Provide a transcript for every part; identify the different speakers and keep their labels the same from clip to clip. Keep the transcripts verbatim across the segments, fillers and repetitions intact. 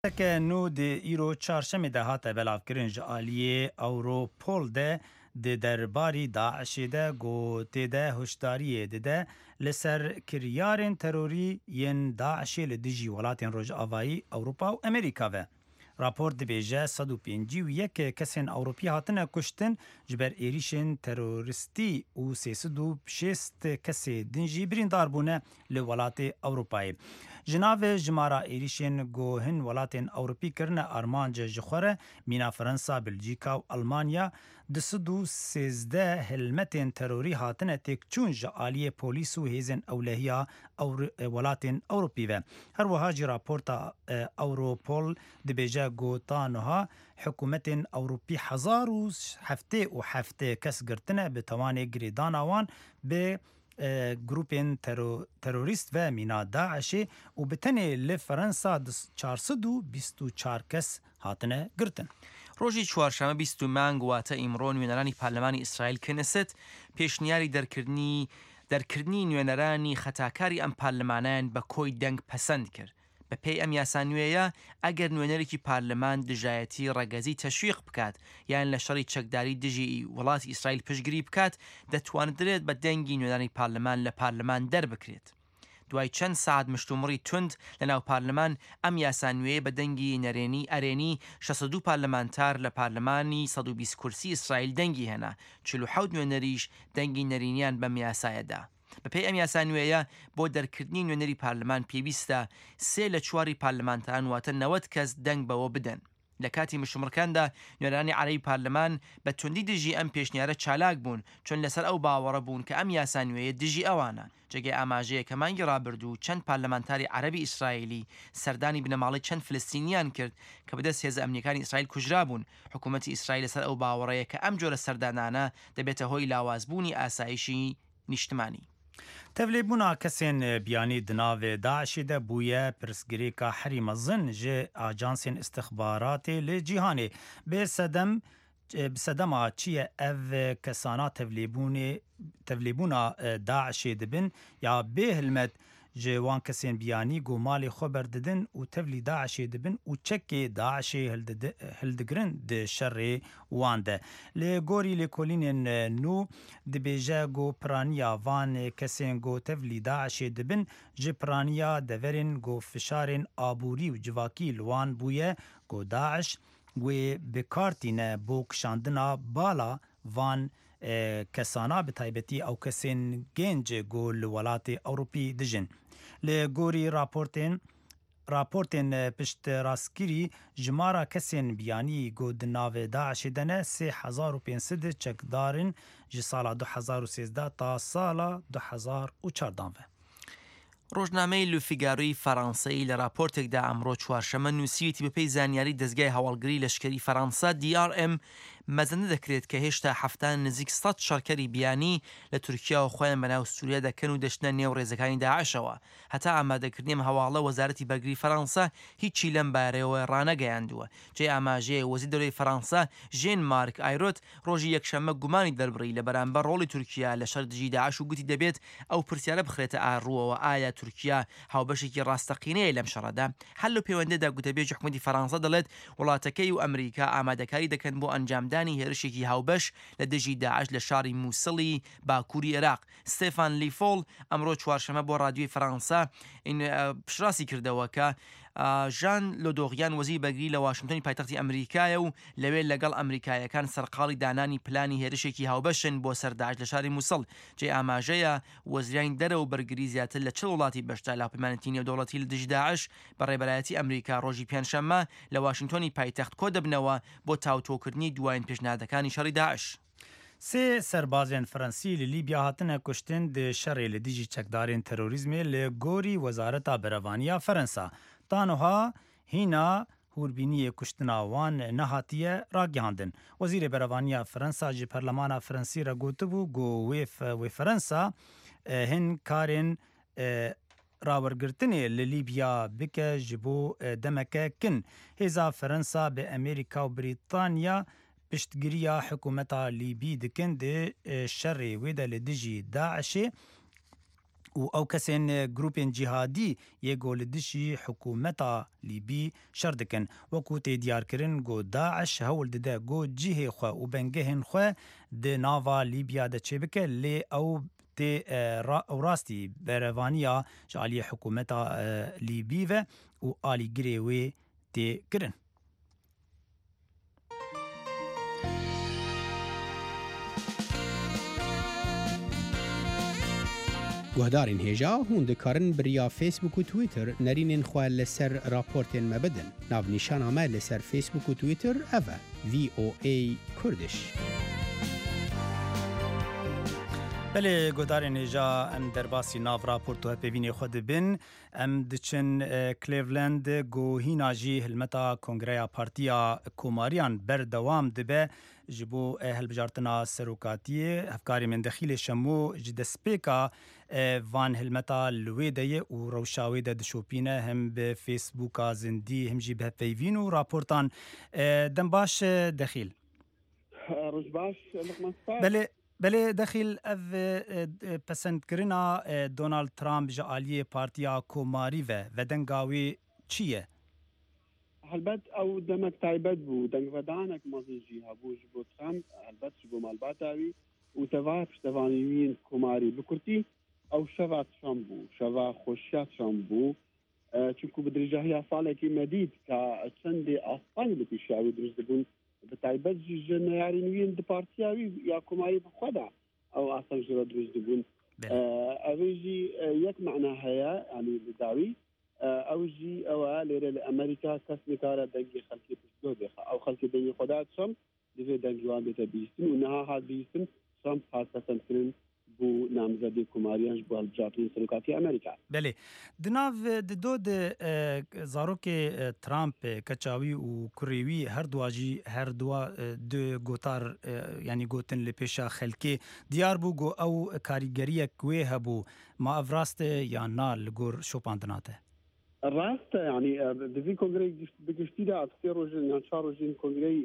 Speaker 1: Raporteke nû di îro çarşemê de hate belavkirin ji aliyê Europol de di derbarî DAIŞê de ku tê de hişyariyê dide li ser kiryarên terorî yên DAIŞê li dijî welatên Rojavayî, Ewropa û Amerîka ve. Raport dibêje sed û pêncî û yek kesên Ewropî hatine kuştin ji ber êrişên terorîstî û sê sed û şêst kesê din jî birîndar bûne li welatê Ewropayê. Ji navê jimara êrişên ku hin welatên Ewropî kirine armanc ji xwe re mîna Fransa, Belçîka û Almanya du sed û sêzdeh helmetên terorî hatine têkçûn ji aliyê polîs û hêzên ewlehiya welatên Ewropî ve. Her wiha jî raporta Europol dibêje ku ta niha hikûmetên Ewropî hezar û heftê û heftê kes girtine bi tawanê girêdana wan bi grûpên terorîst ve mîna DAIŞê û bi tenê li Fransa çar sed û bîst û çar kes hatine girtin.
Speaker 2: ڕۆژی چوارشەممە بیست و مانگ واتە ئیمڕۆ نوێنەرانی پەرلەمانی ئیسرائیل کنست پێشنیاری دەرکردنی دەرکردنی نوێنەرانی خەتاکاری ئەم پەرلەمانیان بە کۆی دەنگ پەسەند کرد. بە پێی ئەم یاسا نوێیە ئەگەر نوێنەرێکی پەرلەمان دژایەتی ڕەگەزی تەشویق بکات یان لە شەڕی چەکداری دژی وڵاتی ئیسرائیل پشتگیری بکات دەتواندرێت بە دەنگی نوێنەرانی پەرلەمان لە پەرلەمان دەربکرێت. دوای چەند ساعت مشتومڕی توند لە ناو پەرلەمان ئەم یاسا نوێیە بە دەنگی نەرێنی ئەرێنی شەست و دوو پەرلەمانتار لە پەرلەمانی سەد و بیست کورسی ئیسرائیل دەنگی هێنا، چل و حەوت نوێنەریش دەنگی نەرێنیان بەم یاسایەدا. بەپێی ئەم یاسا نوێیە بۆ دەرکردنی نوێنەری پەرلەمان پێویستە سێ لە چواری پەرلەمانتاران واتە نەوەد کەس دەنگ بەوە بدەن. لە کاتی مشتومڕەکاندا نوێنەرانی عەرەبی پەرلەمان بە توندی دژی ئەم پێشنیارە چالاک بوون چون لەسەر ئەو باوەڕە بوون کە ئەم یاسا نوێیە دژی ئەوانە. جێگەی ئاماژەیە کە مانگی ڕابردوو چەند پەرلەمانتاری عەرەبی ئیسرائیلی سەردانی بنەماڵەی چەند فلستینیان کرد کە بەدەست هێزە ئەمنیەکانی ئیسرائیل کوژرابوون. حکوومەتی ئیسرائیل لەسەر ئەو باوەڕەیە کە ئەم جۆرە سەردانانە دەبێتە هۆی لاوازبوونی ئاسایشی نیشتمانی.
Speaker 1: تەvlêbûna kesên biyanî di navê DAIŞê de bûye pirsgirêka herî mezin ji ajansên îstixbaratê li cîhanê. Bi sedem bi sedema çi ye ev kesana tevlêbûnê tevlêbûna DAIŞê dibin ya bê hilmet ji wan kesên biyanî ku malê xwe berdidin û tevlî DAIŞê dibin û çekê DAIŞê hildigirin di şerê wan de. Li gorî lêkolînên nû dibêje ku piraniya van kesên ku tevlî DAIŞê dibin ji piraniya deverên ku fişarên aborî û civakî li wan bûye ku DAIŞ wê bi kar tîne bo kişandina bala van kesana bi taybetî ew kesên gênc ku li welatê Ewropî dijin. Li gorî raportên raportên piştrastkirî jimara kesên biyanî ku di navê DAIŞê de ne sê hezar û pênc sed çekdarin ji sala du hezar û sêzdeh ta sala du hezar û çardan ve.
Speaker 2: ڕۆژنامەی لوفیگارۆی فەڕەنسەی لە راپۆرتێکدا ئەمڕۆ چوارشەممە نووسیویەتی بەپێی زانیاری دەزگای هەواڵگری لەشکری فەڕەنسا دی ئار ئێم مەزەندە دەکرێت کە هێشتا هەفتان نزیک سەد شەڕکەری بیانی لە تورکیا و خۆیان بەناو سووریا دەکەن و دەچنە نێو ڕێزەکانی داعشەوە. هەتا ئامادەکردنی ئەم هەواڵە وەزارەتی بەرگری فەڕەنسا هیچی لەم بارەیەوە ڕانەگەیاندووە. جێ ئاماژەیە وەزیر دەرەوەی فەڕەنسا ژێن مارک ئایرۆت ڕۆژی یەکشەممە گومانی دەربڕی لە بەرامبەر ڕۆڵی تورکیا لە شەڕ دژی داعش و گوتی دەبێت ئەو پرسیارە بخرێتە ئاڕووەوە ئایا تورکیا هاوبەشێکی ڕاستەقینەیە لەم شەڕەدا. هەر لەو پەیوەندەدا گوتەبێژی حکوومەتی فەڕەنسا دەڵێت وڵاتەکەی و ئەمریکا ئامادەکاری دەکەن بۆ ئەنجامدانی هێرشێکی هاوبەش لە دژی داعش لە شاری مووسڵی باکووری عێراق. ستێفان لیفۆڵ ئەمڕۆ چوارشەممە بۆ رادیۆی فەڕەنسا پشتڕاستی کردەوە کە ژان لۆدۆغیان وەزیر بەرگری لە واشنگتۆنی پایتەختی ئەمریکایە و لەوێ لەگەڵ ئەمریکایەکان سەرقاڵی دانانی پلانی هێرشێکی هاوبەشن بۆ سەر داعش لە شاری مووسڵ. جێ ئاماژەیە وەزیرانی دەرەوە و بەرگری زیاتر لە چل وڵاتی بەشدار لە هاوپەیمانێتی نێودەوڵەتی لە دژی داعش بە ڕێبەرایەتی ئەمریکا ڕۆژی پێنجشەممە لە واشنگتۆنی پایتەخت کۆ دەبنەوە بۆ تاوتۆکردنی دوایین پێشنیادەکانی شەڕی داعش.
Speaker 1: سێ سەربازên Fransî li Lîbya hatine kuştin di şerê li dijî çekdarên terorîzmê li gorî Wezareta Berevaniya Fransa. Ta niha hîna hûrbîniyê kuştina wan nehatiye ragihandin. Wezîrê Berevaniya Fransa ji Perlemana Fransî re gotibû ku wê wê Fransa hin karên rawergirtinê li Lîbya bike ji bo demeke kin. Hêza Fransa bi Amerîka û Brîtanya piştgiriya hikûmeta Lîbî dikin di şerê wê de li dijî DAIŞê و ئەو کەسێن گروپên cîhadî yê ku li dijî hikûmeta Lîbî şer dikin. Wekû tê diyarkirin ku Daeş hewl dide ku cihê xwe û bengehên xwe di nava Lîbya de çêbike lê ew tê ew rastî berevaniya ji aliyê hikûmeta Lîbî ve û alîgirê wê tê kirin.
Speaker 3: Guhdarên hêja hûn dikarin bi riya Facebook û Twitter nerînên xwe li ser raportên me bidin. Navnîşana me li ser Facebook û Twitter ev e V O A Kurdish.
Speaker 1: Belê guhdarên hêja em derbasî nav raport û hevpeyvînê xwe dibin. Em diçin Cleveland ku hîna jî hilmeta Kongreya Partiya Komariyan berdewam dibe ji bo hilbijartina serokatiyê. Hevkarê min Dexîlê Şemo ji destpêka van hilmeta li wê de ye û rewşa wê de dişopîne hem bi Facebooka zindî hem jî bi hevpeyvîn û raportan. Dem baş Dexîl.
Speaker 4: Roj baş Luqman Spas.
Speaker 1: Belê Belê Dexîl ev pesendkirina Donald Trump ji aliyê Partiya Komarî ve vedenga wê çi ye?
Speaker 4: Helbet ew demek taybet bû, dengvedanek mezin jî hebû ji bo Trump, helbet ji bo malbata wî û tevaya piştevanî wî yên Komarî. Bi kurtî ew şeva Trump bû, şeva xweşiya Trump bû. Çunku bi dirêjahiya salekî me dît ka çendê asteng li pêşiya wî dirust dibûn, bi taybet jî ji neyarên wî yên di partiya wî ya Komarî bi xwe de ew asteng ji re dirust dibûn. Ev jî yek mena heye, yanî li dawî ew jî ew e lêre li Amerîka kes nikare dengê xelkê piştguh bêxe. Ew xelkê dengê xwe da Trump, divê dengê wan bête bihîstin û niha hat bihîstin Trump hat pesendkirin bû namzedê Komariyan ji bo hilbijartinên serokatiya Amerîka.
Speaker 1: Belê. Di nav di do de zarokê Trump keça wî û kurê wî her dua jî her dua du gotar yanî gotin li pêşa xelkê diyar bû ku ew karîgeriyek wê hebû. Ma ev rast e yan na li gor şopandina te?
Speaker 4: Rast e, yanî di vî kongreyê bi giştî de sê rojên yan çar rojên kongreyê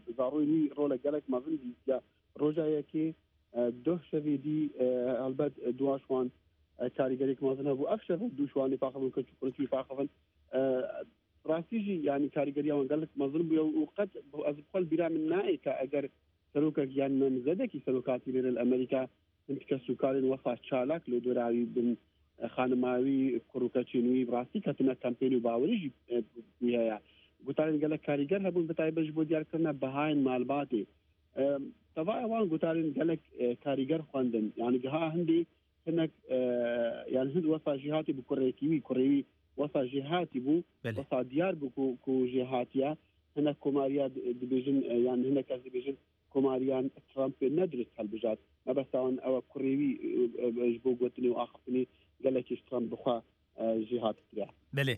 Speaker 4: bi zaroyên wî rolek gelek mezin dîtiye. Roja yekê duh şevê dî helbet dua şwan karîgeriyek mezin hebû. Ev şev du şwanê paxivin, keç û kurê wî paxivin. Rastî jî yanî karîgeriya wan gelek mezin bûye û qet ez bi xwe li bîra min nayê ka eger serokek yan namzedekî serokatî lêre li Amerîka hin kes û karên wesa çalak li dora wî bin xanima wî kur û keçên wî bi rastî ketine kampên û bawerî jî wî heye. Gotarên gelek karîger hebûn bi taybet ji bo diyarkirina bihayên malbatê. Tevaya wan gotarên gelek karîger xwendin. Yani giha hindî hinek yani hind wesa jî hatî bi kurêkî wî, kurê wî wesa jî hatî bû, wesa diyar bû ku ku jê hatiye. Hinek komariya dibêjin yan hinek ez dibêjin komariyan Trump nedurist hilbijart. Mebesta wan ew kurê wî ji bo gotinê û axaftinê gelekî ji Trump bi xwe jê hatî kiriye.
Speaker 1: Belê.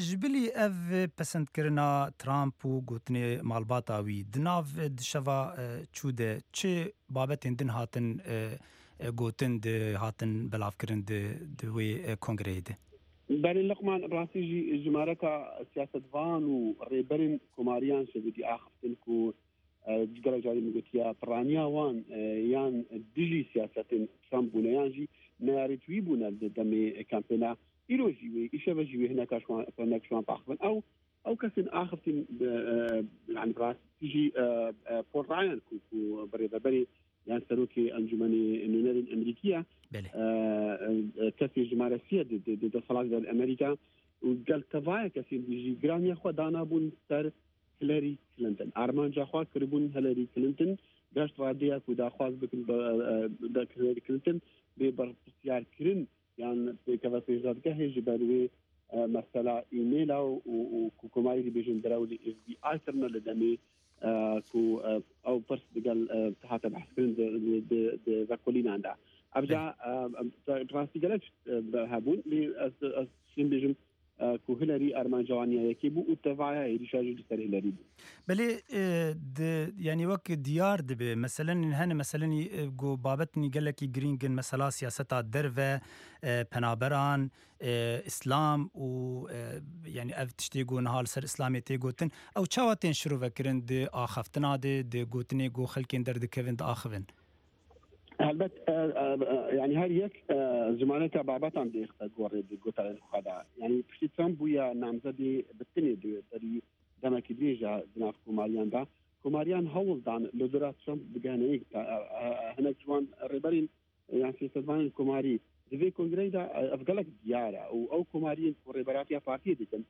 Speaker 1: Ji bilî ev pesendkirina Trump û gotinê malbata wî di nav di şeva çû de çi babetên din hatin gotin di hatin belavkirin di di wê kongreyê de?
Speaker 4: Belê Luqman, rastî jî jimareka siyasetvan û rêberên komariyan şevê dî axiftin ku gelek carî min gotiye piraniya wan yan dijî siyasetên Trump bûne yan jî neyarê wî bûne di demê kampêna îro jî wê îşeve jî wê hineka hinek ji wan paxivin. Ew ew kesên axiftin yani rastî jî Paul Ryan ku ku birêveberê yan serokê encûmenê nûnerên Amerîkî ye, kesê jimare sî di deselat de li Amerîka û gel tevaya kesên dî jî giraniya xwe danabûn ser Hillary Clinton. Armanca xwe kiribûn Hillary Clinton gaşt radeya ku daxwaz bikin Hillary Clinton bê berpirsyarkirin yan pêkeve pêşdadgehê ji ber wê mesela e-maila û ku komarî dibêjin derew li F B I kirine li demê ku ew pirs digel hate behskirin di vekolînan de. Ev ca rastî gelek hebûn lê ez ez şêm bêjim ku Hillary armanca wan ya yekê bû û tevaya êrîşa jî li ser Hillary bû.
Speaker 1: Belê yanî wek diyar dibe meselen hene meselenî ku babetnî gelekî girîng in mesela siyaseta derve penaberan İslam û yanî ev tiştê ku niha li ser İslamê tê gotin ew çawa tên şirovekirin di axaftina de di gotinê ku xelkên derdikevin diaxivin?
Speaker 4: Helbet yani her yek زمانێکە بابەتان دێختە گۆڕێ گوتارێن خۆدا یعنی پشتی ترامپ بووە نامزەدی بتنێ دوێ دەمێکی درێژە دناف کۆماریاندا کۆماریان هەوڵدان لە دورا ترامپ بگەنەیەک هەنێک جوان ڕێبەرین یان سیاسەتوانین کۆماری دوێ کۆنگرەیدا ئەف گەلک دیارە و ئەو کۆماریین ڕێبەراتیا پارتی دیتن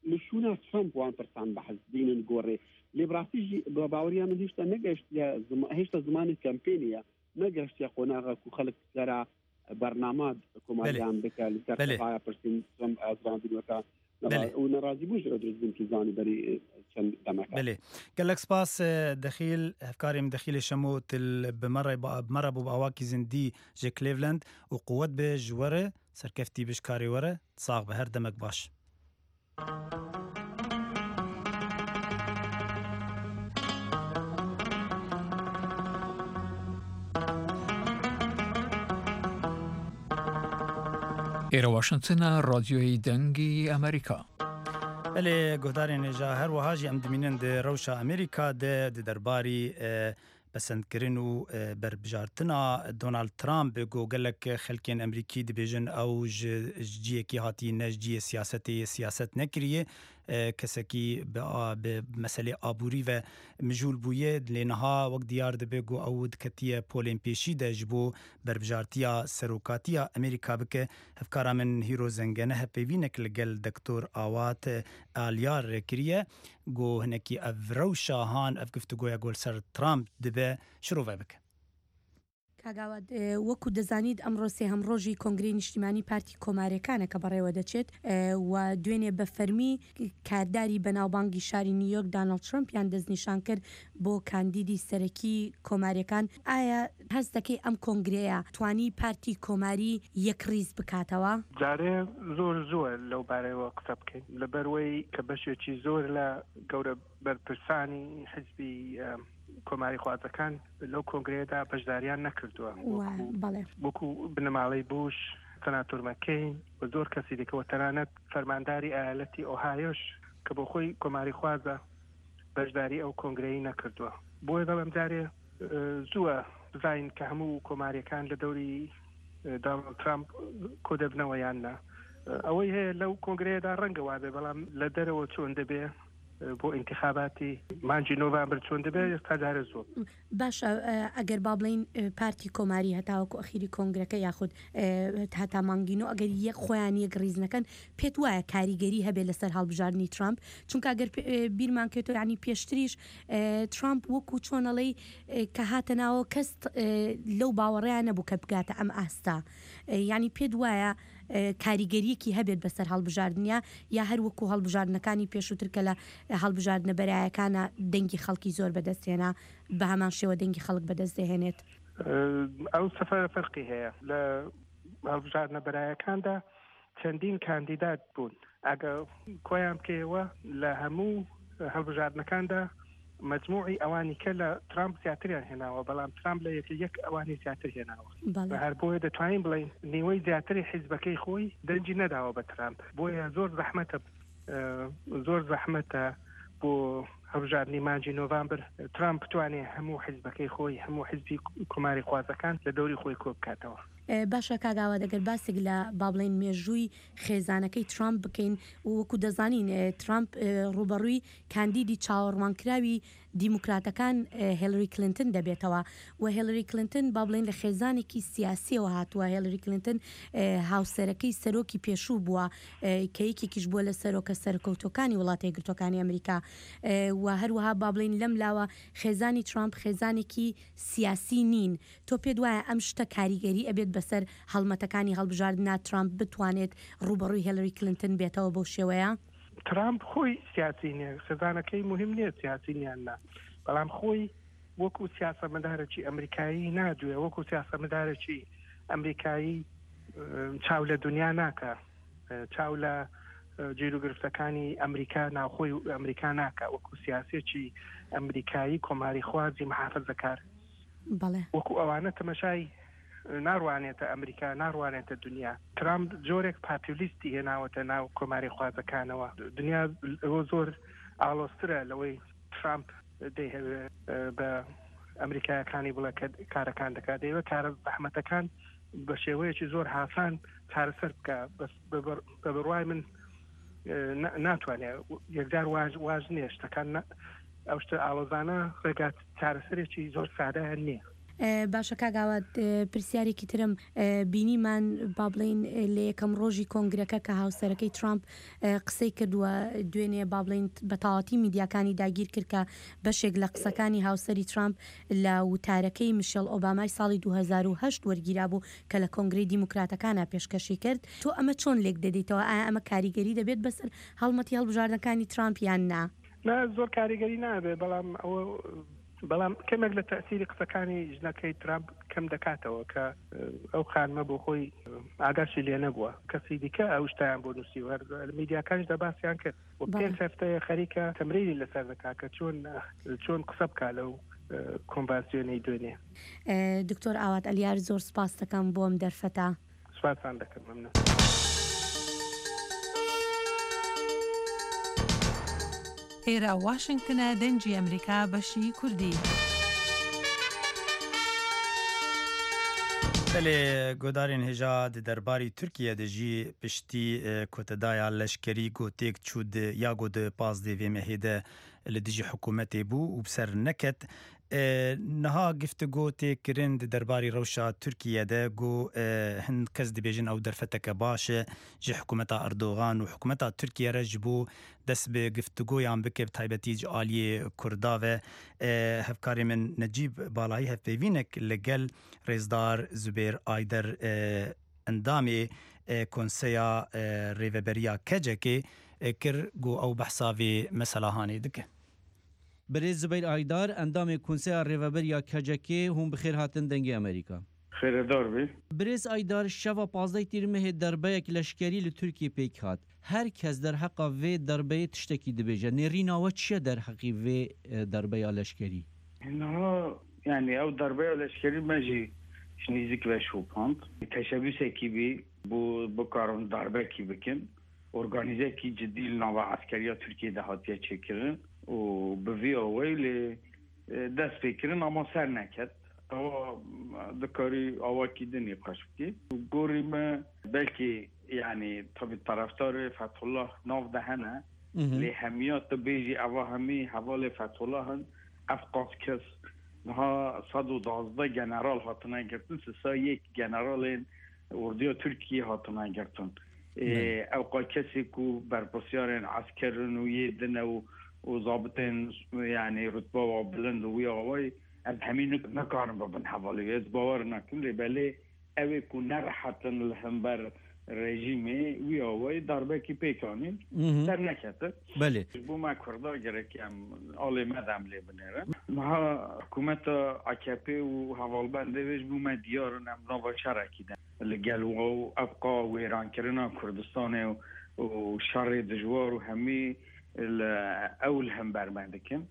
Speaker 4: لە شوونا ترامپ وان پرسان بەحز دینن گۆڕێ لێ بڕاستی بە باوەریان من هێشتا نەگەشتیە هێشتا زمانی کەمپینیە نەگەشتیە قۆناغە و خەڵک سەرا بەرنامە کۆماریان بکە لەسەر پرسین ترامپ ئازراندنەکە و ناڕازی بووش دروست بوون توزانی بەری چەند دەمەکە.
Speaker 1: بەلێ گەلەک سپاس دەخیل هەفکاریم دەخیل شەمۆ تل بمەڕە بمەڕە بۆ ئاواکی زندی ji Cleveland و قوت به ji were serkeftî bij karê were sax be her demek baş.
Speaker 5: ئێرە واشنگتنە رادیۆی دەنگی ئەمریکا.
Speaker 1: بەلێ گۆدارێن ێژا هەروەها ژی ئەم دمینن di rewşa Amerîka de di derbarî پەسەندکردن و berbijartina Donald Trump got gelek xelkên Amerîkî dibêjin ew ji ciyekî hatî ne ji ciyê siyasetê siyaset nekiriye kesekî bi meselê aborî ve mijûl bûye lê niha wek diyar dibe ku ew diketiye polên pêşî de ji bo berbijartiya serokatiya Amerîka bike. Hevkara min Hîro Zengene hevpeyvînek li gel Doktor Awat Alyar kiriye got hinekî ev rewşa han ev guftugoya gol ser Trump dibe şirove bike.
Speaker 6: کاگاوات وەکو دەزانیت ئەمڕۆ سێهەم ڕۆژی کۆنگرەی نیشتیمانی پارتی کۆماریەکانە کە بەڕێوە دەچێت و دوێنێ بە فەرمی کارداری بەناوبانگی شاری نیویۆرک داناڵد ترەمپیان دەستنیشان کرد بۆ کاندیدی سەرەکی کۆماریەکان. ئایا هەست دەکەی ئەم کۆنگرەیە توانی پارتی کۆماری یەکڕیز بکاتەوە؟
Speaker 7: جارێ زۆر زۆر لەو بارەیەوە قسە بکەین، لەبەروەی کە بەشێکی زۆر لە گەورە بەرپرسانی حیزبی کۆماری خوازەکان لەو کۆنگرەیەدا بەشداریان نەکردووە، وەکو بنەماڵەی بوش، سەناتۆر مەکەین و زۆر کەسی دیکەوە، تەنانەت فەرمانداری ئایالەتی ئۆهایۆش کە بۆ خۆی کۆماری خوازە بەشداری ئەو کۆنگرەی نەکردووە. بۆیە دەڵێم جارێ زووە بزانین کە هەموو کۆماریەکان لە دەوری داناڵد ترامپ کۆ دەبنەوە یان نا. ئەوەی هەیە لەو کۆنگرەیەدا ڕەنگە وابێ، بەڵام لە دەرەوە چۆن دەبێ بۆ ئینتخاباتی مانگی نۆڤامبر چۆن دەبێت ئێستا جارێ زۆر
Speaker 6: باشە. ئەگەر با بڵین پارتی کۆماری هەتاوەکو ئەخیری کۆنگرەکە یاخود هەتا مانگینۆ ئەگەر یەک خۆیان یەک ڕیز نەکەن، پێت وایە کاریگەری هەبێت لەسەر هەڵبژاردنی ترامپ؟ چونکە ئەگەر بیرمان کێتەوە یعنی پێشتریش ترامپ وەکو چۆنەڵەی کە هاتە ناوە کەس لەو باوەڕیان نەبوو کە بگاتە ئەم ئاستا، یعنی پێت وایە کاریگەریەکی هەبێت بەسەر هەڵبژاردنیا یا هەر وەکو هەڵبژاردنەکانی پێشووتر کە لە هەڵبژاردنە بەرایەکانە دەنگی خەڵکی زۆر بەدەستهێنا بە هەمان شێوە دەنگی خەڵک بەدەست دەهێنێت؟
Speaker 7: ئەو سەفەرە فەرقی هەیە. لە هەڵبژاردنە بەرایەکاندا چەندین کاندیدات بوون، ئەگەر کۆیان بکەیەوە لە هەموو هەڵبژاردنەکاندا مجموعی ئەوانی کە لە ترامپ زیاتریان هێناوە، بەڵام ترامپ لە یەک یەک ئەوانی زیاتر هێناوە. هەر بۆیە دەتوانین بڵێین نیوەی زیاتری حیزبەکەی خۆی دەنگی نەداوە بە ترامپ. بۆیە زۆر زەحمەتە زۆر زەحمەتە بۆ هەڵبژاردنی مانگی نۆڤامبر ترامپ بتوانێت هەموو حیزبەکەی خۆی، هەموو حیزبی کۆماری خوازەکان لە دەوری خۆی کۆ بکاتەوە.
Speaker 6: باشە کاگاوە، دەگەر باسێک لە با بڵێن مێژووی خێزانەکەی ترامپ بکەین، وەکو دەزانین ترامپ ڕوبەڕووی کاندیدی چاوەڕوانکراوی دیموکراتەکان هێلری کلینتن دەبێتەوە و هێلری کلینتن با بڵێن لە خێزانێکی سیاسیەوە هاتووە. هێلری کلینتن هاوسەرەکەی سەرۆکی پێشوو بووە کە یەکێکیش بووە لە سەرۆکە سەرکەوتوەکانی وڵاتە یەکگرتووەکانی ئەمریکا و هەروەها با بڵێن لەم لاوە خێزانی ترامپ خێزانێکی سیاسی نین. تۆ پێت وایە ئەم شتە کاریگەری ئەبێت بەسەر هەڵمەتەکانی هەڵبژاردنا ترامپ بتوانێت ڕوبەڕووی هێلری کلینتن بێتەوە بەو شێوەیە؟
Speaker 7: ترامپ خۆی سیاسی نییە، خێزانەکەی مهم نییە سیاسی نیان نا، بەڵام خۆی وەکو سیاسەتمەدارێکی ئەمریکایی نادوێ، وەکو سیاسەتمەدارێکی ئەمریکایی چاو لە دنیا ناکە، چاو لە گیروگرفتەکانی ئەمریکا ناوخۆی ئەمریکا ناکە، وەکو سیاسێکی ئەمریکایی کۆماری خوازی محافزەکار وەکو ئەوانە تەمەشای ناڕوانێتە ئەمریکا، ناڕوانێتە دنیا. ترامپ جۆرێک پاپولیستی هێناوەتە ناو کۆماری خوازەکانەوە. دنیا زۆر ئاڵۆزترە لەوەی ترامپ دەیهەوێ بە ئەمریکایەکانی بڵێ کە کارەکان دەکات، دەیەوێت کارە زەحمەتەکان بە شێوەیەکی زۆر هاسان چارەسەر بکە. بەس بە بڕوای من ناتوانێت یەکجار واژ واژ نییە، شتەکان ئەو شتە ئاڵۆزانە ڕێگات چارەسەرێکی زۆر سادەیان نییە.
Speaker 6: باشە کاک ئاوات، پرسیارێکی ترم بینیمان با بڵین لە یەکەم ڕۆژی کۆنگرەکە کە هاوسەرەکەی ترامپ قسەی کردووە دوێنێ با بڵین بە تەواوەتی میدیاکانی داگیر کرد کە بەشێک لە قسەکانی هاوسەری ترامپ لە وتارەکەی میشێل ئۆبامای ساڵی دوو هەزار و هەشت وەرگیرا بوو کە لە کۆنگرەی دیموکراتەکانە پێشکەشی کرد. تۆ ئەمە چۆن لێک دەدەیتەوە؟ ئایا ئەمە کاریگەری دەبێت بەسەر هەڵمەتی هەڵبژاردنەکانی ترامپ یان نا؟
Speaker 7: نا، زۆر کاریگەری نابێت، بەڵام ئەوە بەڵام کەمێک لە تەسیری قسەکانی ژنەکەی ترامپ کەم دەکاتەوە کە ئەو خانمە بۆ خۆی ئاگاشی لێ نەبووە، کەسی دیکە ئەو شتیان بۆ نووسی و هەر میدیاکانیشدا باسیان کرد و پێنج هەفتەیە خەریکە تەمرینی لەسەر دەکات کە چۆن چۆن قسە بکا لەو کۆنڤانسیۆنەی دوێنێ.
Speaker 6: دکتۆر ئاوات ئەلیار، زۆر سپاس دەکەم بۆم دەرفەتە.
Speaker 7: سپاسان دەکەم، مەمنون.
Speaker 8: ئێرە واشنگتنە، دەنگی ئەمریکا، بەشی کوردی.
Speaker 1: بەلێ گۆدارên هێژا di derbarî Tirkiye de jî piştî kotedaya leşkerî gotêk çû di ya got di pazdeh vê mehê de li dijî hikûmetê bû û bi ser neket. Niha giftigo tê kirin di derbarî rewşa Tirkiye de got hin kes dibêjin ew derfeteke baş e ji hikûmeta Erdogan û hikûmeta Tirkiye re ji bo dest bi giftigoyan bike bi taybetî ji aliyê Kurda ve. Hevkarê min Necîb Balayî hevpeyvînek li gel Rêzdar Zubêr Ayder endamê Konseya Rêveberiya Kecekê kir got ew behsa vê mesela hanê dike.
Speaker 9: برێز زوبەیر ئایدار، ئەندامێ کونسەیا ڕێڤەبەریا کەجەکێ، هûn bi xêr hatin dengê Amerîka.
Speaker 10: Xêredar bî.
Speaker 9: Birêz Aydar, şeva pazdeh tîrmehê derbeyek leşkerî li Tirkiye pêk hat. Her kes derheqa vê derbeyê tiştekî dibêje. Nêrîna we çi ye derheqî vê derbeya leşkerî?
Speaker 10: Niha yani ew derbeya leşkerî me jî ji nêzik ve şopand. Teşebbüsekî bî bo bikarin darbekî bikin. Organîzekî cidî li nava eskeriya Tirkiye de hatiye çêkirin û bi vî awayî lê dest pê kirin ama ser neket. Ew dikarî awakî din nîqaş bikî. Gorî me belkî yani tabii taraftarê Fethullah nav de hene lê hemiya tu bêjî eva hemî hevalê Fethullah in ev qas kes niha sed û duwazdeh general hatine girtin, sisa yek generalên orduya Tirkiye hatine girtin. Ew qas kesê ku berpirsyarên eskerin û yê din û û zabitên yani rutba wa bilind û wî awayî ev hemî nikarin bibin hevalê. Ez bawer nakim lê belê ew ê ku nerehetin li hember rejîmê wî awayî darbekî pêk anîn ser neketin.
Speaker 9: Belê.
Speaker 10: Ji bo me Kurda gerek em alê me de em lê binêrin. Niha hikûmeta A K P û hevalbendê wê ji bo me diyar in em nava şerekî de li gel û ev qa wêrankirina Kurdistanê û şerê dijwar û hemî ew li hember me dikin.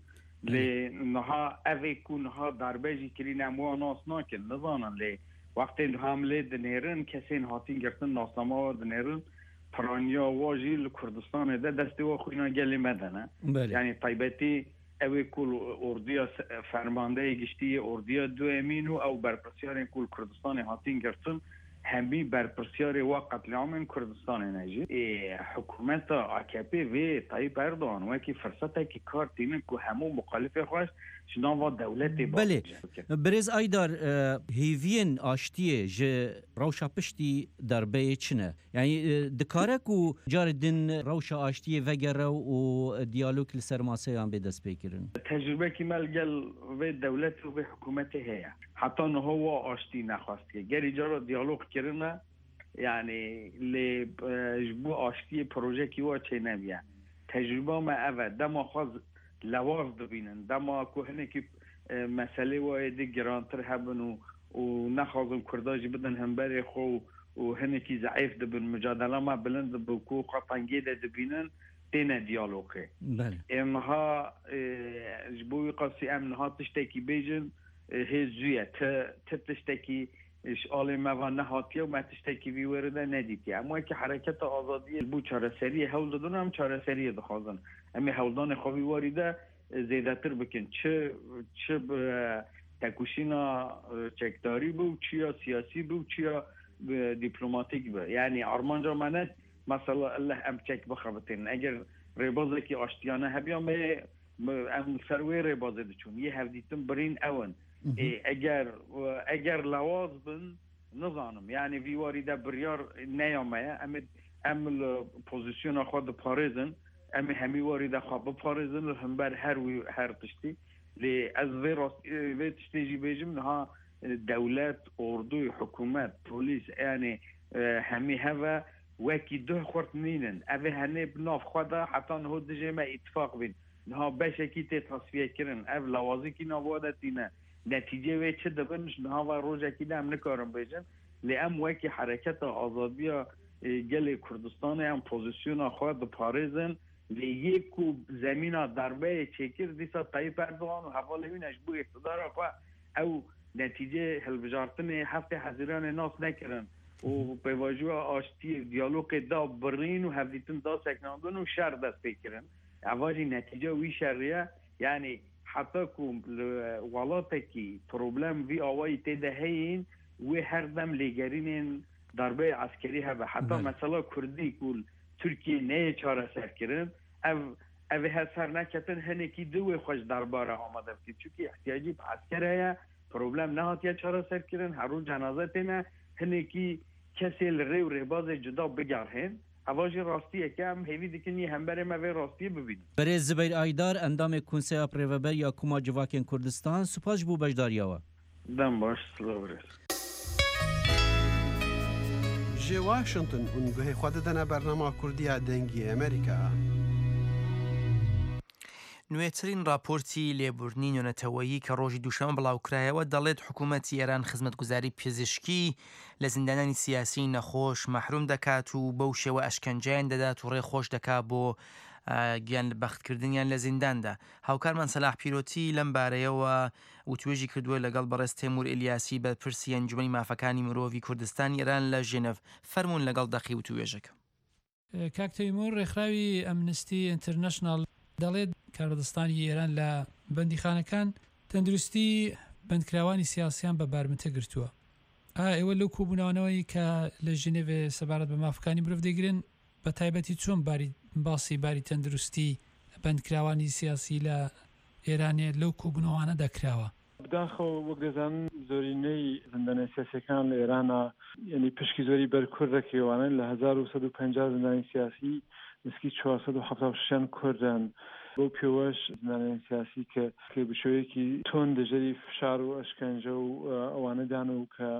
Speaker 10: Lê niha ev ê ku niha darbe jî kirîn em wan nas nakin, nizanin lê wextê niha em lê dinêrin kesên hatîn girtin nasnama wa dinêrin piraniya wa jî li Kurdistanê de destê wa xwîna gelê me de ne. Yani taybetî ew ê ku orduya fermandeyê giştî yê orduya duemîn û ew berpirsyarên ku li Kurdistanê hatîn girtin hemî berpirsyarê wa qetlîamên Kurdistanê ne jî. Hikûmeta A K P vê Tayyip Erdogan wekî firsetekî kar tînin ku hemû muxalifê xwe ji nava dewletê
Speaker 9: Belê. Birêz Aydar, hêviyên aştiyê ji rewşa piştî derbeyê çi ne? Yani dikare ku carê din rewşa aştiyê vegere û diyalog li ser maseyan bê destpêkirin?
Speaker 10: Tecrübekî me li gel vê dewletê û vê hikûmetê heye. Heta niha wa aştî nexwastiye. Gerî cara diyalog kirine yani lê ji bo aştiyê projekî wa çênebiye. Tecrüba me ev e dema xwe lewaz dibînin, dema ku hinekî meselê wa êdî girantir hebin û û nexwazin Kurda jî bidin hemberê xwe û hinekî zeîf dibin, mücadela me bilind dibe ku xwe tengê de dibînin têne diyalogê. Em niha ji bo wî qasî em niha tiştekî bêjin hê zû ye. Ti tiştekî ji alê me ve nehatiye û me tiştekî vî were de nedîtiye. Em wekî hereketa azadiyê bo çareseriyê hewl didin, em çareseriyê dixwazin. Em ê hewldanê xwe vî warî de zêdetir bikin. Çi çi تێکۆشینا چەکداری بوو چیا سیاسی بوو چیا دیپلۆماتیک بە یعنی ئارمانجا منە مەسەلا ئەللە ئەم چەک بخەبتێن ئەگەر ڕێبازێکی ئاشتیانە هەبیان بێ ئەم سەر وێ ڕێبازێ دەچوون یە هەڤدیتن برین ئەون ئەگەر ئەگەر لاواز بن نزانم یعنی ڤیواری دە بڕیار نەیامەیە ئەم ئەم پۆزیسیۆنە خۆ دەپارێزن ئەم هەمی واری دە خۆ بپارێزن لە هەمبەر هەر هەر تشتی لێ ئەز vê vê tiştê jî bêjim niha dewlet ordû hikûmet polîs yanî hemî heve wekî duh xurt nînin ev ê henê bi nav xwe de heta niho dijê me îttifaq bîn niha beşekî tê tasfiyekirin ev lawazîkî nava de tîne netîce wê çi dibin niha ve rojekî de em nikarin bêjin lê em wekî hereketa azadiya gelê Kurdistanê em pozîsyona xwe diparêzin lê yê ku zemîna darbeyê çêkir dîsa Tayyip Erdogan û hevalê wî ne ji bo îqtidara xwe ew netîce hilbijartinê heftê Hezîranê nas nekirin û pêvajoya aştiyê diyalogê da birîn û hevdîtin da seknandin û şer dest pê kirin eva jî netîce wî şerî yani heta ku li welatekî problem vî awayî tê de heyîn wê her dem lêgerînên darbeyê eskerî hebe heta mesela Kurdî ku Türkiye neyê çareserkirin ev ev ê her ser neketin hinekî du wê xwe ji darbara amade bikî çunkî ihtiyacî bi esker heye problem nehatiye çareserkirin her roj cenaze têne hinekî kesê li rê û rêbazê cuda bigerhên eva jî rastiyeke em hêvî dikin yê hemberê me vê rastiyê bibînin.
Speaker 9: Berêz Zibeyr Aydar endamê Konseya Rêveber ya Koma Civakên Kurdistan spas ji bo beşdariya we.
Speaker 10: Dem baş silav rêz.
Speaker 11: Ji Washington hûn guhê xwe didine bernama Kurdiya Dengê Amerîka.
Speaker 2: نوێترین راپۆرتی لێبوردنی نێونەتەوەیی کە ڕۆژی دووشەممە بڵاوکرایەوە دەڵێت حکوومەتی ئێران خزمەتگوزاری پزیشکی لە زیندانانی سیاسی نەخۆش مەحروم دەکات و بەو شێوە ئەشکەنجەیان دەدات و ڕێ خۆش دەکات بۆ گیان بەختکردنیان لە زینداندا. هاوکارمان سەلاح پیرۆتی لەم بارەیەوە وتوێژی کردووە لەگەڵ بەڕێز تەیمور ئیلیاسی بەرپرسی ئەنجومەنی مافەکانی مرۆڤی کوردستانی ئێران لە ژنێڤ. فەرمونون لەگەڵ دەقی وتوێژەکە.
Speaker 12: کاک تەیمور، ڕێکخراوی ئەمنستی ئینتەرنەشناڵ دەڵێت کاربەدەستانی ئێران لە بەندیخانەکان تەندروستی بەندکراوانی سیاسیان بە بارمتە گرتووە. ئا ئێوە لەو کۆبوونەوەی کە لە ژنێڤ سەبارەت بە مافەکانی مرۆڤ دەگرن بە تایبەتی چۆن باری باسی باری تەندروستی بەندکراوانی سیاسی لە ئێرانێ لەو کۆبوونەوانە دەکراوە؟
Speaker 13: بەداخەوە وەک دەزانن زۆرینەی زیندانە سیاسیەکان لە ئێرانە یعنی پشکی زۆری بەر کورد دەکەوانن لە هەزار و سەد و پەنجا زیندانی سیاسی نزیکی چوار سەد و حەفتا و شەشیان کوردن. بەو پێوەش زیندانیانی سیاسی کە کە بە شێوەیەکی توند دەژەری فشار و ئەشکەنجە و ئەوانەدان و کە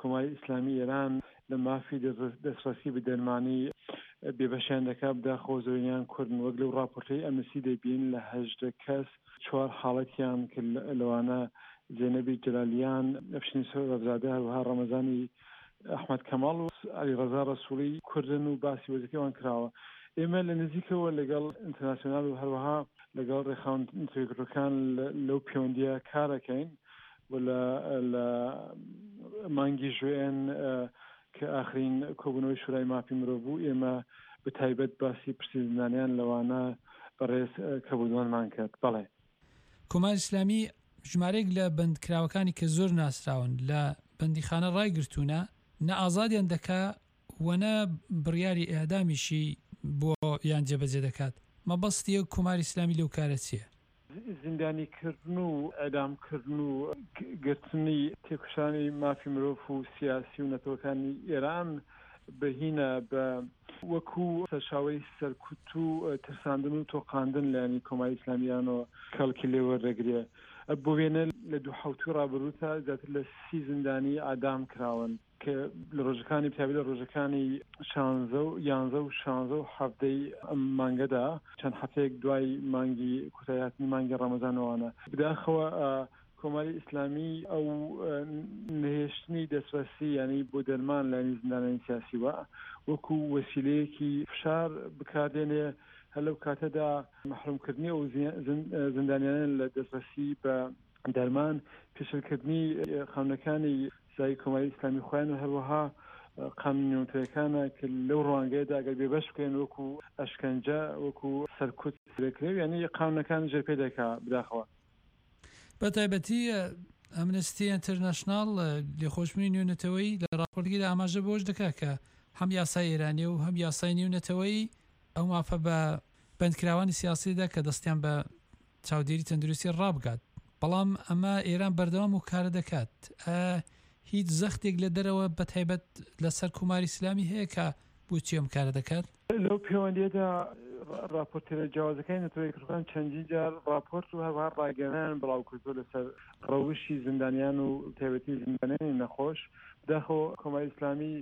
Speaker 13: کۆماری ئیسلامی ئێران لە مافی دەستڕەسی بە دەرمانی بێبەشیان دەکات، بەداخەوە زۆرینەیان کوردن. وەک لەو راپۆرتەی ئەمنستی دەبین لە هەژدە کەس چوار حاڵەتیان کە لەوانە زێنەبی جەلالیان، ئەفشین سۆرەفزادە، هەروەها ڕەمەزانی ئەحمەد کەماڵ و عەلی ڕەزا ڕەسووڵی کوردن و باسی وەزیفەی ئەوان کراوە. ئێمە لە نزیکەوە لەگەڵ ئینتەرناسیۆنال و هەروەها لەگەڵ ڕێکخراوە لەو پەیوەندیە کارەکەین و لە مانگی ژوێن کە ئاخرین کۆبوونەوەی شورای مافی مرۆڤ بوو ئێمە بە تایبەت باسی پرسی زیندانیان لەوانە بەڕێز کەبوودوانمان کرد. بەڵێ
Speaker 12: کۆماری ئیسلامی ژمارەیەک لە بەندکراوەکانی کە زۆر ناسراون لە بەندیخانە ڕایگرتوونە نە ئازادیان دەکا و نە بڕیاری ئێعدامیشی بۆ یان جێبەجێ دەکات. مەبەستی کۆماری ئیسلامی لەو کارە چییە؟
Speaker 13: زیندانیکردن و ئێعدامکردن و گرتنی تێکۆشانی مافی مرۆڤ و سیاسی و نەتەوەکانی ئێران بەهینە بە وەکو سەرچاوەی سەرکوت و ترساندن و تۆقاندن لایەنی کۆماری ئیسلامیانەوە کەڵکی لێوەردەگرێ. بۆ وێنە لە دوو حەوتووی ڕابردووتا زیاتر لە سی زیندانی ئادام کراون کە لە ڕۆژەکانی بتابی لە ڕۆژەکانی شانزە و یانزە و شانزە و حەفتەی ئەم مانگەدا چەند هەفتەیەک دوای مانگی کۆتاییهاتنی مانگی ڕەمەزانەوانە. بەداخەوە کۆماری ئیسلامی ئەو نەهێشتنی دەستڕەسی یعنی بۆ دەرمان لایەنی زیندانانی سیاسیوە وەکو وەسیلەیەکی فشار بکاردێنێ. هەر لەو کاتەدا مەحرومکردنی ئەو زیندانیانە لە دەستڕەسی بە دەرمان، پێشلکردنی قانونەکانی سزای کۆماری ئیسلامی خۆیان و هەروەها قانون نێونەتەوەیەکانە کە لەو ڕوانگەیەدا ئەگەر بێبەش بکەین وەکو ئەشکەنجە وەکو سەرکوت دەکرێت، یعنی قانونەکان ژێرپێ دەکا. بەداخەوە
Speaker 12: بە تایبەتی ئەمنستی ئینتەرناشناڵ، لێخۆشبوونی نێونەتەوەیی، لە ڕاپۆرتەکەیدا ئاماژە بەوەش دەکات کە هەم یاسای ئێرانی و هەم یاسای نێونەتەوەیی ئەو مافە بە بەندکراوانی سیاسی دەدا کە دەستیان بە چاودێری تەندروستی ڕابگات، بەڵام ئەمە ئێران بەردەوام و کارە دەکات. هیچ زەختێک لە دەرەوە بە تایبەت لەسەر کۆماری ئیسلامی هەیە کە بۆچی ئەم کارە دەکات؟
Speaker 13: لەو پەیوەندیەدا راپۆرتێرە جیاوازەکانی نەتەوە یەکگرتووەکان چەندین جار راپۆرت و هەروەها ڕاگەیاندنیان بڵاو کردووە لەسەر ڕەوشی زیندانیان و تایبەتی زیندانیانی نەخۆش. بەداخەوە کۆماری ئیسلامی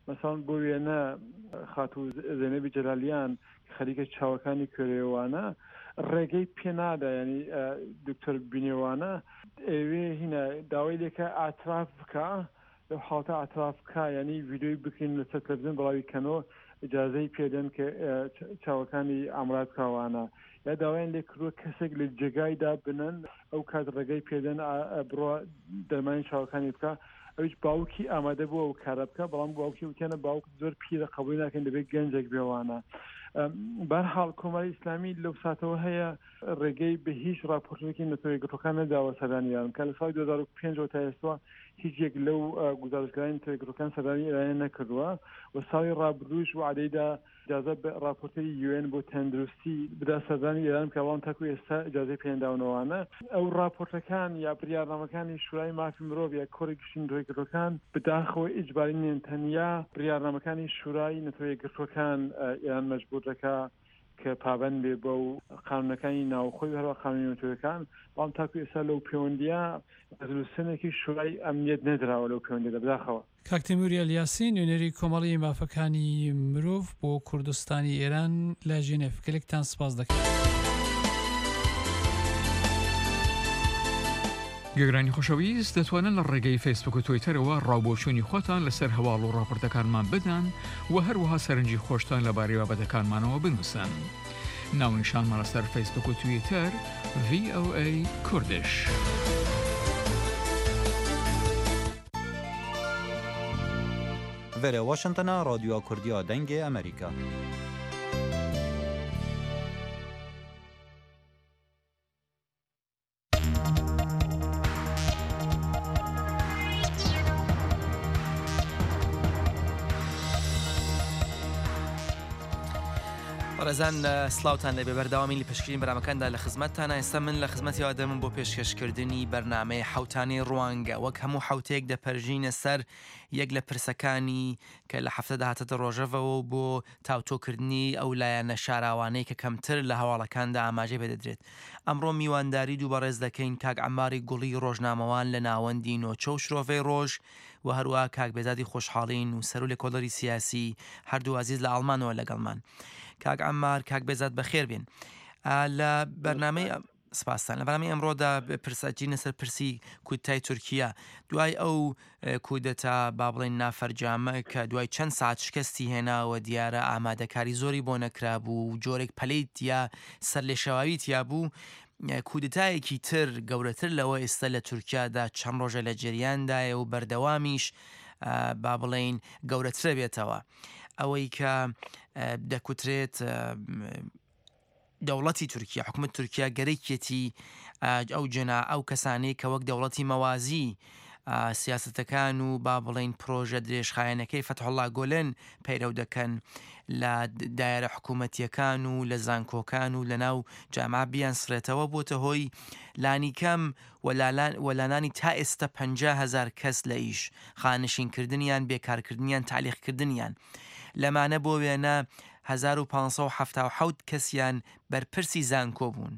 Speaker 13: مەسەڵەن بۆ وێنە خاتوو زەینەبی جەلالیان کە خەریکە چاوەکانی کوێرەوانە ڕێگەی پێ نادا، ینی دکتۆر بینێوانە ئەوێ هینە داوای لێکە ئاعتراف بکە، لەو حاڵەتە ئاعتراف بکە، ینی ڤیدیۆی بکرین لەسەر تەلەڤیزیۆن بڵاوی کەنەوە، ئجازەی پێدەن کە چاوەکانی ئامراد بکەوانە، یا داوایان لێ کردووە کەسێک لە جێگایدا بنن ئەو کات ڕێگەی پێدەن بڕۆ دەرمانی چاوەکانی بکە. ئەویش باوکی ئامادە بووە ئەو کارە بکە، بەڵام باوکی وتیانە باوک زۆر پیرە قبولی ناکەن، دەبێت گەنجێک بێوانە. بەرحاڵ کۆماری ئیسلامی لەو ساتەوە هەیە ڕێگەی بە هیچ راپۆرتێکی نەتەوە یەکگرتووەکان نەداوە سەردانی ئێران بکات. لە ساڵی دوو هەزار و پێنج تا ئێستا هیچ یەک لەو گوزارشگەرانی نەتەوە یەکگرتووەکان سەردانی ئێرانیان نەکردووە و ساڵی ڕابردووش وعدەیدا ئجازە بە راپۆرتەری یوئێن بۆ تەندروستی بدا سەردانی ئێران بکات، بەڵام تاکو ئێستا ئجازەی پێنداونەوانە. ئەو راپۆرتەکان یا بڕیارنامەکانی شورای مافی مرۆڤ یا کۆڕی گشتی نەتەوە یەکگرتووەکان بەداخەوە ئیجباری نین، تەنیا بڕیارنامەکانی شورای نەتەوە یەکگرتووەکان ئێران مەجبور دەکا کە پابەند بێ بەو قانونەکانی ناوخۆی و هەروەها قانونی نەتەوەکان، بەڵام تاکو ئێستا لەو پەیوەندیە ڕێزولوسیۆنێکی شورای ئەمنیەت نەدراوە لەو پەیوەندیدا بەداخەوە.
Speaker 12: کاک تەیموور ئەلیاسی، نوێنەری کۆمەڵی مافەکانی مرۆڤ بۆ کوردستانی ئێران لە ژنێف، گەلێکتان سپاس دەکەم.
Speaker 5: گوێگرانی خۆشەویست دەتوانن لە ڕێگەی فەیسبوک و تویتەرەوە ڕاوبۆچوونی خۆتان لەسەر هەواڵ و ڕاپۆرتەکانمان بدەن و هەروەها سەرنجی خۆشتان لەبارەی بابەتەکانمانەوە بنووسن. ناونیشانمان لەسەر فەیسبوک و تویتەر ڤی ئۆ ئەی کوردش.
Speaker 14: Vere Washingtona Radyoya Kurdiya Dengê Amerîka.
Speaker 2: بەڕێزان سلااوان لەبێ بەردەوامی لە پێشکردنی بەرنامەکاندا لە خزمەتتانە. ئێستا من لە خزمەتی ئادەمم بۆ پێشکەشکردنی بەرنامەی حوتانەی ڕوانگە. وەک هەموو حوتەیەک دەپەرژینە سەر یەک لە پرسەکانی کە لە هەفتەدا هاتەتە ڕۆژەڤەوە بۆ تاوتۆکردنی ئەو لایەنە شاراوانەی کە کەمتر لە هەواڵەکاندا ئاماژەی پێدەدرێت. ئەمڕۆ میوانداری دوو بەڕێز دەکەین، کاک عەماری گوڵی ڕۆژنامەوان لە ناوەندی نۆچە و شرۆڤەی ڕۆژ و هەروەها کاک بێزادی خۆشحاڵین و سەر و لێکۆڵەری سیاسی هەردوو ئازیز لە ئەڵمانەوە لەگەڵمان. کاک عەمار، کاک بێزاد بەخێر بێن. لە بەرنامەی سپاستان لە بەرنامەی ئەمڕۆدا پرسەچینە سەر پرسی کودتای تورکیا. دوای ئەو کودەتا با بڵێن نافەرجامە کە دوای چەند ساعت شکستی هێناوە، دیارە ئامادەکاری زۆری بۆ نەکرابوو و جۆرێک پەلەی تیا سەرلێشەواوی تیا بوو، کودتایەکی تر گەورەتر لەوە ئێستا لە تورکیادا چەند ڕۆژە لە جریاندایە و بەردەوامیش با بڵێین گەورەترە بێتەوە. ئەوەی کە دەکوترێت دەوڵەتی تورکیا، حکوومەت تورکیا گەرەکێتی ئەو جەنا ئەو کەسانەی کە وەک دەوڵەتی مەوازی سیاستەکان و با بڵین پرۆژە درێژخایەنەکەی فەتحوڵڵا گۆلن پەیرەو دەکەن لە دایرە حکوومەتیەکان و لە زانکۆکان و لە ناو جامعە بیان سڕێتەوە، بۆتە هۆی لانیکەم وەلانانی تا ئێستا پەنجا هەزار کەس لە ئیش، خانشینکردنیان، بێکارکردنیان، تالیخکردنیان. لەمانە بۆ وێنە هەزار و پانسەد و حەفتا و حەوت کەسیان بەرپرسی زانکۆ بوون،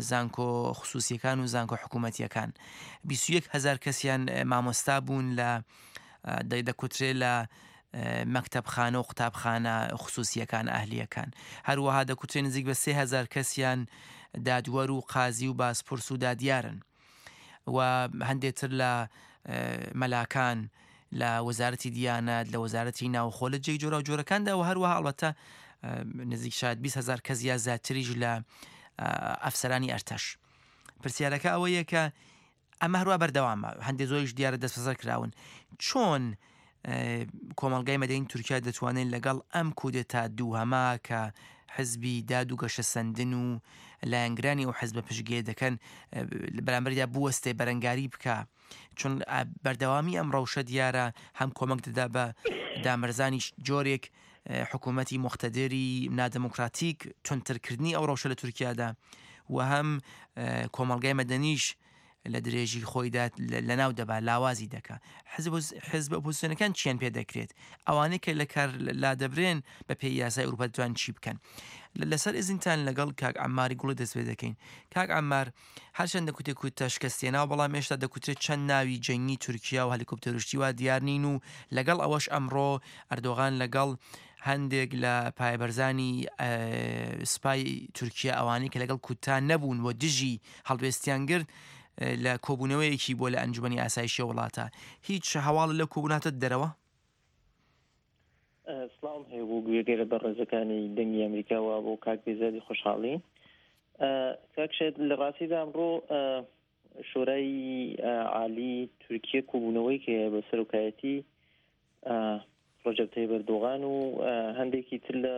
Speaker 2: زانکۆ خصوصیەکان و زانکۆ حکوومەتیەکان. بیست و یەک هەزار کەسیان مامۆستا بوون لە دەکوترێ لە مەکتەبخانە و قوتابخانە خصوصیەکان ئەهلیەکان. هەروەها دەکوترێ نزیک بە سێ هەزار کەسیان دادوەر و قازی و بازپرس و دادیارن و هەندێتر لە مەلاکان لە وەزارەتی دیانەت، لە وەزارەتی ناوخۆ، لە جێی جۆرە و جۆرەکاندا و هەروەها ئەڵبەتە نزیک شاید بیست هەزار کەس یا زیاتریش لە ئەفسەرانی ئەرتەش. پرسیارەکە ئەوەیە کە ئەمە هەروە بەردەوامە، هەندێک زۆریش دیارە دەستبەسەر کراون. چۆن کۆمەڵگای مەدەنی تورکیا دەتوانێت لەگەڵ ئەم کودەتا دووهەما کە حزبی داد و گەشەسەندن و لایەنگرانی ئەو حزبە پشتگیری دەکەن بەرامبەردا بوەستێ بەرەنگاری بکە، چون بەردەوامی ئەم ڕەوشە دیارە هەم کۆمەک دەدا بە دامەرزانی جۆرێک حکوومەتی موقتەدری نادەموکراتیک توندترکردنی ئەو ڕەوشە لە تورکیادا و هەم کۆمەڵگای مەدەنیش لە درێژی خۆیدا لەناو دەبا لاوازی دەکا. حزب ئۆپۆزیسیۆنەکان چیان پێ دەکرێت؟ ئەوانەی کە لە کار لادەبرێن بە پێی یاسای ئەوروپا دەتوانن چی بکەن؟ لەسەر ئیزنتان لەگەڵ کاک عەمماری گوڵی دەست پێ دەکەین. کاک عەممار، هەرچەند دەکوتێ کوتە شکستێناوە، بەڵام هێشتا دەکوترێت چەند ناوی جەنگی تورکیا و هەلیکۆپتەرشتی وا دیار نین و لەگەڵ ئەوەش ئەمڕۆ ئەردۆغان لەگەڵ هەندێک لە پایەبەرزانی سوپای تورکیا ئەوانەی کە لەگەڵ کوتا نەبوون و دژی هەڵوێستیان گرت لە کۆبوونەوەیەکی بۆ لە ئەنجومەنی ئاسایشی وڵاتە. هیچ هەواڵ لەو کۆبووناتە دەرەوە؟
Speaker 15: سڵاوم هەیە بۆ گوێگەرە بەڕێزەکانی دەنگی ئەمریکاوە بۆ کاک بێزادی خۆشحاڵی. کاک شێت، لە ڕاستیدا ئەمڕۆ شۆرای عالی تورکیە کۆبوونەوەی کە بە سەرۆکایەتی ڕەجەب تەیب ئەردۆغان و هەندێکی تر لە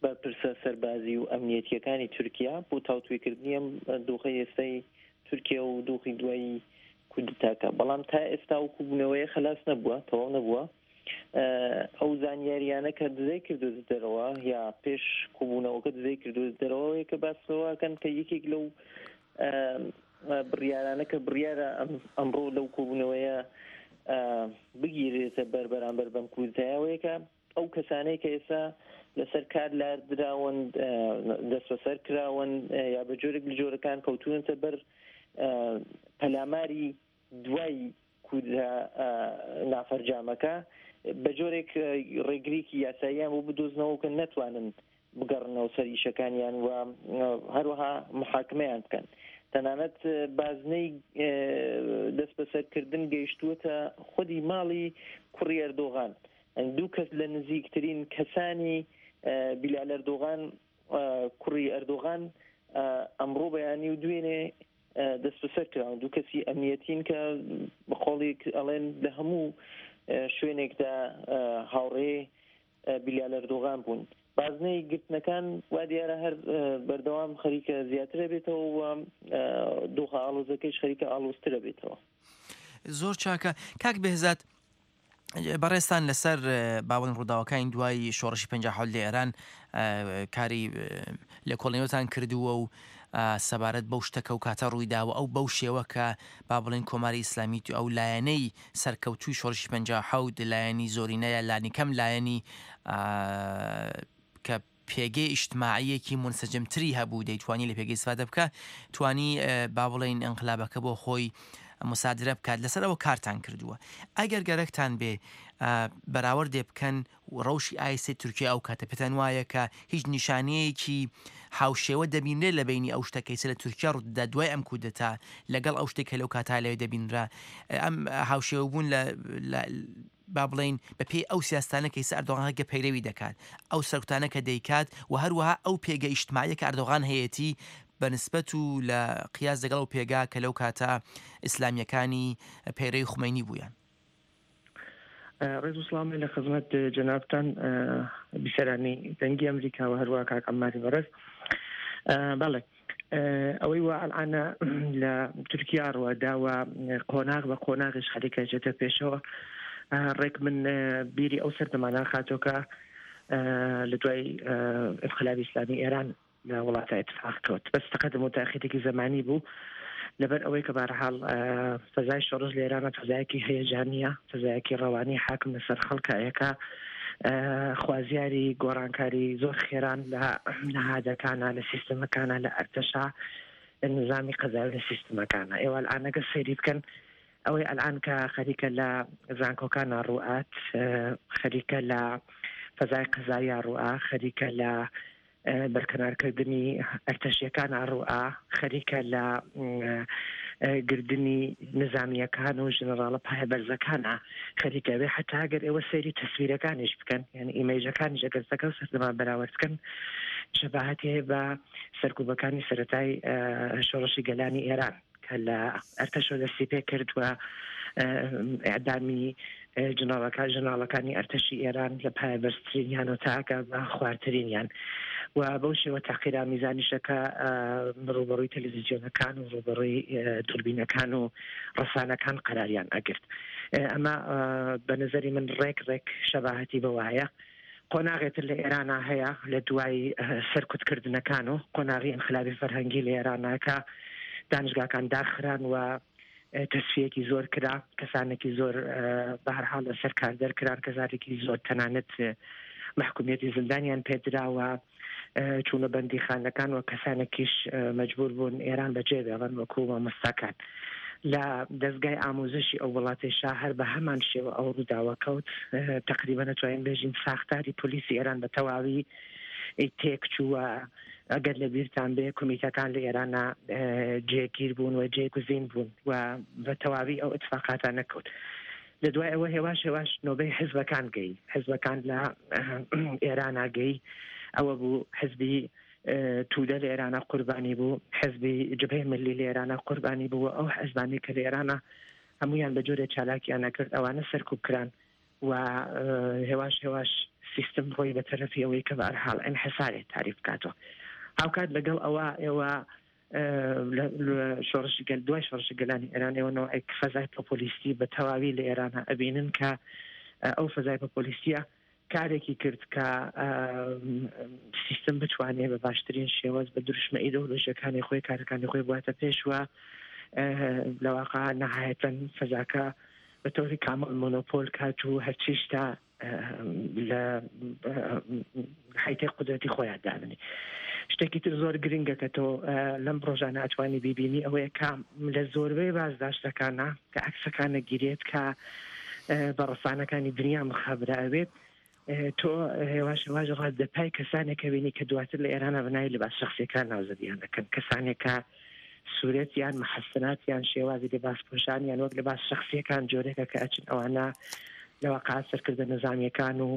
Speaker 15: بەرپرسە سەربازی و ئەمنیەتیەکانی تورکیا بۆ تاوتوێکردنی ئەم دۆخەی ئێستای تورکیا و دۆخی دوایی کودتاکە. بەڵام تا ئێستا و کۆبوونەوەیە خلاص نەبووە، تەواو نەبووە. ئەو زانیاریانە کە دزەی کردو دەرەوە یا پێش کۆبوونەوەکە دزەی کردو دەرەوە کە باسەوەکەن کە یەکێک لەو بڕیارانە کە بڕیارە ئەمڕۆ لەو کۆبوونەوەیە بگیرێتە بەر بەرامبەر بەم کودتایەوەیەکە ئەو کەسانەی کە ئێستا لەسەر کار لاردراون، دەستبەسەر کراون یا بە جۆرێک لە جۆرەکان کەوتونەتە بەر پەلاماری دوای کودتا نافەرجامەکە، بە جۆرێک ڕێگریکی یاساییان بۆ بدۆزنەوە کە نەتوانن بگەڕنەوە سەر ئیشەکانیان و هەروەها محاکمەیان بکەن. تەنانەت بازنەی دەستبەسەرکردن گەیشتووەتە خودی ماڵی کوڕی ئەردۆغان. دوو کەس لە نزیکترین کەسانی بیلال ئەردۆغان کوڕی ئەردۆغان ئەمڕۆ بەیانی و دوێنێ دەستبەسەر کراون. دوو کەسی ئەمنیەتین کە بە قۆڵێک ئەڵێن لە هەموو شوێنێکدا هاوڕێ بیلال ئەردۆغان بوون. بازنەی گرتنەکان وا دیارە هەر بەردەوام خەریکە زیاترە بێتەوە و دۆخە ئاڵۆزەکەیش خەریکە ئاڵۆزترە بێتەوە.
Speaker 2: زۆر چاکە. کاک بێهزاد، بەڕێستان لەسەر باوەن ڕووداوەکانی دوای شۆڕشی پەنجا حەوت لە ئێران کاری لێکۆڵینەوەتان کردووە و سەبارەت بەو شتەکە و کاتە ڕوویداوە ئەو بەو شێوە کە با بڵێن کۆماری ئیسلامی ئەو لایەنەی سەرکەوتووی شۆڕشی پەنجا حەوت لایەنی زۆرینەیە لانیکەم لایەنی کە پێگەی ئیجتماعیەکی منسەجمتری هەبوو دەیتوانی لە پێگەی استفادە بکە، توانی با بڵێن ئینقلابەکە بۆ خۆی مسادرە بکات. لەسەر ئەوە کارتان کردووە. ئەگەر گەرەکتان بێ بەراوردێ بکەن ڕەوشی ئایسی تورکیا ئەو کاتە، پێتان وایە کە هیچ نیشانەیەکی هاوشێوە دەبینرێت لە بینی ئەو شتەکەی لە تورکیا ڕوودەدا دوای ئەم کودەتا لەگەڵ ئەو شتێک کە لەو کاتا لەوێ دەبینرا؟ ئەم هاوشێوە بوون لە با بڵین بە پێی ئەو سیاستانە کە ئێستا ئەردۆغان کە پەیرەوی دەکات، ئەو سەرکوتانە کە دەیکات و هەروەها ئەو پێگە ئیجتماعیە کە ئەردۆغان هەیەتی بەنسبەت و لە قیاس لەگەڵ ئەو پێگا کە لەو کاتە ئیسلامیەکانی پەیرەوی خومەینی بوویان.
Speaker 7: ڕێز و سڵاوم لە خزمەت جەنابتان بیسەرانی دەنگی ئەمریکا و هەروەها کاک عەمماری بەڕێز. بەڵێ، ئەوەی وا ئەلعانە لە تورکیا ڕوەداوە قۆناغ بە قۆناغیش خەریکە جێتە پێشەوە. ڕێک من بیری ئەو سەردەمانە خاتۆکە لە دوای ئینقلابی ئیسلامی ئێران لە وڵاتە اتفاق کەوت، بەس تەقەدم و تاخیرێکی زەمانی بوو لەبەر ئەوەی کە بەهەرحاڵ فەزای شۆڕش لە ئێرانە فەزایەکی هەیەجانیە، فەزایەکی ڕەوانی حاکم لەسەر خەڵکایەکە، خوازیاری گۆڕانکاری زۆر خێران لە نەهادەکانە، لە سیستەمەکانە، لە ئەرتەشا، لە نظامی قەزایی لە سیستەمەکانە. ئێوە ئەلئانەگە سەیری بکەن ئەوەی ئەلئان کە خەریکە لە زانکۆکانە ڕوئات، خەریکە لە فەزای قەزاییە ڕوئا، خەریکە لە بەرکەنارکردنی ئەرتەشیەکان ڕوئا، خەریکە لە گردنی نظامیەکان و ژنەراڵە پایەبەرزەکانە خەریکە بێ. حتا ئەگەر ئێوە سەیری تەسویرەکانیش بکەن، یعنی ئیمەیجەکانیش ئەگەر زەکە و سەردەما بەراورد بکەن، شەباهەتی هەیە بە سەرکوبەکانی سەرەتای شۆڕشی گەلانی ئێران کە لە ئەرتەشەوە دەستی پێ کرد و
Speaker 16: ئیعدامی ژناڵەکان ژناڵەکانی ئەرتەشی ئێران لە پایەبەرزترینیان و تاکە بە خوارترینیان و بەو شێوە تاقیرامیزانیشەکە ڕوبەڕووی تەلەڤیزیۆنەکان و ڕوبەڕووی دوربینەکان و ڕسانەکان قەراریان ئەگرت. ئەمە بە نظری من ڕێک ڕێک شەباهەتی بەوە هەیە. قۆناغێتر لە ئێرانە هەیە لە دوای سەرکوتکردنەکان و قۆناغی ئینقلابی فەرهەنگی لە ئێرانە کە دانشگاکان داخران و تەسفیەکی زۆر کرا، کەسانێکی زۆر بەهەرحاڵ لەسەر کار دەرکران، کەسانێکی زۆر تەنانەت مەحکومیەتی زیندانیان پێدراوە، چوونە بەندیخانەکان و کەسانێکیش مەجبور بوون ئێران بەجێ بێڵن وەکو مامۆستاکان. لە دەستگای ئاموزشی ئەو وڵاتێشا هەر بە هەمان شێوە ئەو ڕووداوە کەوت. تقریبا نەتوانین بێژین ساختاری پۆلیسی ئێران بە تەواوی تێک چووە. ئەگەر لە بیرتان بێ کۆمیتەکان لە ئێرانە جێگیر بوون و جێگوزین بوون و بە تەواوی ئەو ئیتفاقاتە نەکەوت. لە دوای ئەوە هێواش هێواش نۆبەی حزبەکان گەی، حزبەکان لە ئێرانە گەی. ئەوە بوو حزبی تودە لە ئێرانە قوربانی بوو، حزبی جبهەی ملی لە ئێرانە قوربانی بوو. ئەو حزبانی کە لە ئێرانە هەمویان بە جۆرێ چالاکیان نەکرد ئەوانە سەرکوب کران و هێواش هێواش سیستم ڕۆی بە تەرەفی ئەوەی کە بەهەرحاڵ ئینحسارێ تاریف بکاتەوە. هاوکات لەگەڵ ئەوە ئێوە شۆڕشی گەل دوای شۆڕشی گەلانی ئێران ئێوە نەوعێک فەزای پۆپۆلیستی بە تەواوی لە ئێرانە ئەبینن کە ئەو فەزای پۆپۆلیستیە کارێکی کرد کە سیستم بتوانێت بە باشترین شێواز بە دروشمە ئیدۆلۆژیەکانی خۆی کارەکانی خۆی بواتە پێشوە. لە واقع نهایەتەن فەزاکە بە تۆری کامل مۆنۆپۆل کات و هەرچیشتا لە حیتەی قودرەتی خۆیان دابنی. شتێکی تر زۆر گرنگە کە تۆ لەم ڕۆژانە ئەتوانی بیبینی ئەوەیە کە لە زۆربەی بازداشتەکانە کە عەکسەکانە گیرێت کە بە ڕسانەکانی دنیا مخابرە ئەوێت، تۆ هێواش هێواش ڕادەپای کەسانێک بینی کە دواتر لە ئێرانە بەناوی لەباس شخصیەکان ناوزەدیان دەکەن، کەسانێکە سوورەتیان محەسناتیان شێوازی لەباس پۆشانیان وەک لەباس شخصیەکان جۆرێکە کە ئەچن ئەوانە لە واقع سەرکردە نەزامیەکان و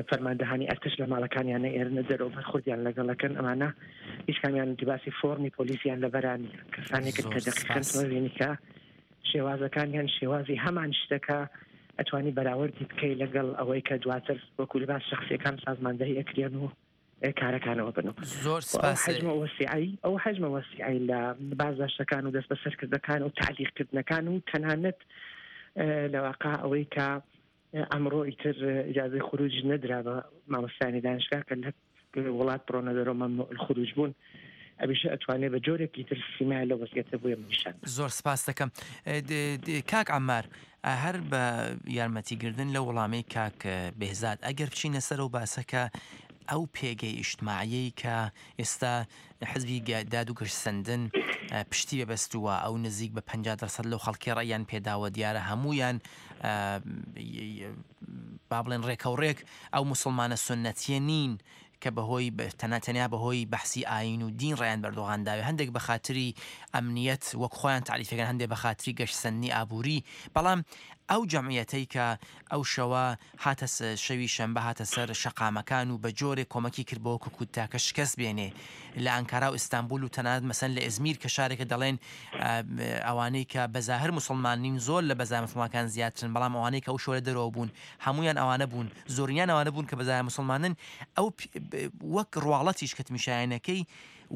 Speaker 16: فەرماندەهانی ئەرتش لە ماڵەکانیان ئێرنە دەرەوە بەرخوردیان لەگەڵەکەن. ئەمانە هیچ کامیان لباسی فۆرمی پۆلیسیان لەبەرانی کەسانێکن کە دەقیقەن تۆ بینی کە شێوازەکانیان شێوازی هەمان شتەکە ئەتوانی بەراوردی بکەی لەگەڵ ئەوەی کە دواتر وەکو لەباس شخصیەکان سازماندەهی ئەکرێن و کارەکانەوە بن.
Speaker 2: زۆر سپاس.
Speaker 16: حەجمە وەسیعی ئەو حەجمە وەسیعی لە بازداشتەکان و دەستبەسەرکردنەکان و تەعلیقکردنەکان و تەنانەت لە واقع ئەوەی کە ئەمڕۆ ئیتر ئیجازەی خروج نەدرا بە مامۆستایانی دانشگاه کە لە وڵات بڕۆنە دەرەوە مەمنوع الخروج بوون، ئەبیشە ئەتوانێت بە جۆرێکی تر سیمای لە وەزعیەتە بۆیە نیشان.
Speaker 2: زۆر سپاس دەکەم. کاک عەمار، هەر بە یارمەتیگردن لە وەڵامەی کاک بێهزاد ئەگەر بچینە سەر ئەو باسەکە ئەو پێگەی ئیجتماعیەی کە ئێستا حزبی داد و گەشتسەندن پشتی بەبەستووە، ئەو نزیک بە پەنجا دەرسەد لەو خەڵکی ڕێیان پێداوە، دیارە هەمویان با بڵێن ڕێکەوڕێک ئەو مسلمانە سنەتیە نین کە بەهۆی تەنها تەنیا بەهۆی بەحسی ئاین و دین ڕێیان بەردۆغان داوێ، هەندێک بە خاتری ئەمنیەت وەک خۆیان تعریفەکەن، هەندێک بە خاتری گەشتسەندنی ئابووری. بەڵام ئەو جەمعیەتەی کە ئەو شەوە هاتە شەوی شەنبە هاتە سەر شەقامەکان و بە جۆرێک کۆمەکی کرد بۆ کودتاکە شکست بێنێ لە ئەنکارا و ئیستانبول و تەنانەت مەسەن لە ئەزمیر کە شارێکە دەڵێن ئەوانەی کە بەزاهر مسلمان نین زۆر لە بەزاهر مسلمانەکان زیاترن، بەڵام ئەوانەی کە ئەو شەوە دەرەوە بوون هەمویان ئەوانە بوون، زۆرینیان ئەوانە بوون کە بەزاهر مسلمانن. ئەو وەک ڕواڵەتیش کە تمیشایەنەکەی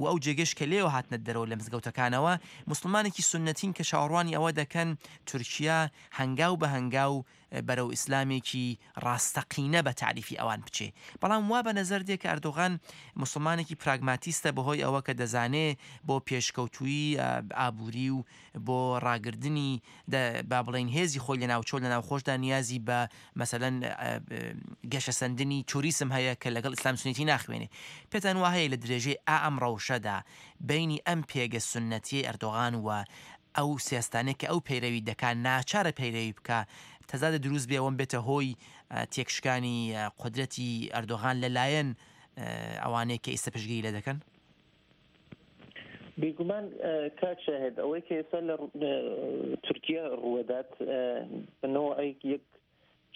Speaker 2: و ئەو جێگەش کە لێوە هاتنە دەرەوە لە مزگەوتەکانەوە مسلمانێکی سنەتین کە چاوەڕوانی ئەوە دەکەن تورکیا هەنگاو بە هەنگاو بەرەو ئیسلامێکی ڕاستەقینە بە تعریفی ئەوان بچێ. بەڵام وا بە نەزەر دێ کە ئەردۆغان مسلمانێکی پراگماتیستە بەهۆی ئەوە کە دەزانێ بۆ پێشکەوتووی ئابووری و بۆ ڕاگردنی با بڵێن هێزی خۆی لە ناوچۆ لە ناوخۆشدا نیازی بە مەسەلەن گەشەسەندنی توریسم هەیە کە لەگەڵ ئیسلام سنەتی ناخوێنێ. پێتان وا هەیە لە درێژەی ئا ئەم ڕەوشەدا بینی ئەم پێگە سنەتیەی ئەردۆغان و ئەو سیاستانێک کە ئەو پەیرەوی دەکا ناچارە پەیرەوی بکە تەزادە دروست بێ ئەوەم بێتە هۆی تێکشکانی قودرەتی ئەردۆغان لەلایەن ئەوانەیە کە ئێستا پشتگیری لێ دەکەن؟
Speaker 15: بێگومان کاک شاهد، ئەوەی کە ئێستا لە تورکیا ڕووەدات بەنەوەیەک یەک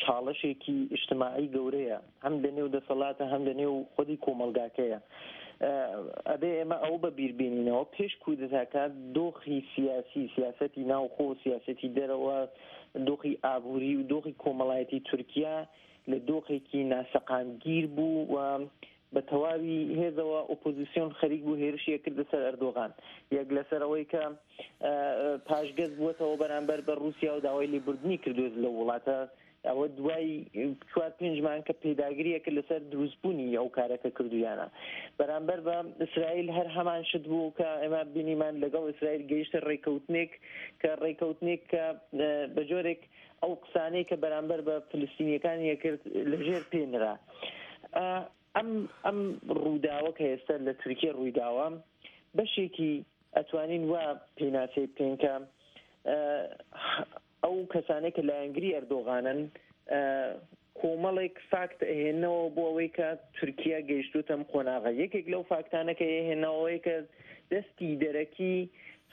Speaker 15: چاڵشێکی ئیجتماعی گەورەیە، هەم لە نێو دەسەڵاتە هەم لە نێو خودی کۆمەڵگاکەیە. ئەبێ ئێمە ئەو بە بیر بێنینەوە پێش کودەتاکە دۆخی سیاسی، سیاسەتی ناوخۆ، سیاسەتی دەرەوە، دۆخی ئابووری و دۆخی کۆمەڵایەتی تورکیا لە دۆخێکی ناسەقامگیر بوو و بە تەواوی هێزەوە ئۆپۆزیسیۆن خەریک بوو هێرشی کردە سەر ئەردۆغان، یەک لەسەر ئەوەی کە پاشگەز بووەتەوە بەرامبەر بە رووسیا و داوای لێبوردنی کردوێت لەو وڵاتە. ئەوە دوای چوار پێنج مانگ کە پێداگریە کرد لەسەر دروستبوونی ئەو کارەکە کردویانە. بەرامبەر بە ئیسرائیل هەر هەمان شت بوو کە ئێمە بینیمان لەگەڵ ئیسرائیل گەیشتە ڕێکەوتنێک کە ڕێکەوتنێک کە بە جۆرێک ئەو قسانەی کە بەرامبەر بە فلستینیەکان یەکرد لەژێر پێنرا. ئەم ئەم ڕووداوە کە ئێستا لە تورکیا ڕوویداوە بەشێکی ئەتوانین وا پێناسەی بکەین کە ئەو کەسانێک کە لایەنگری ئەردۆغانن کۆمەڵێک فاکت ئەهێنەوە بۆ ئەوەی کە تورکیا گەیشتوتەم قۆناغە. یەکێک لەو فاکتانە کە ئەهێنەوەی کە دەستی دەرەکی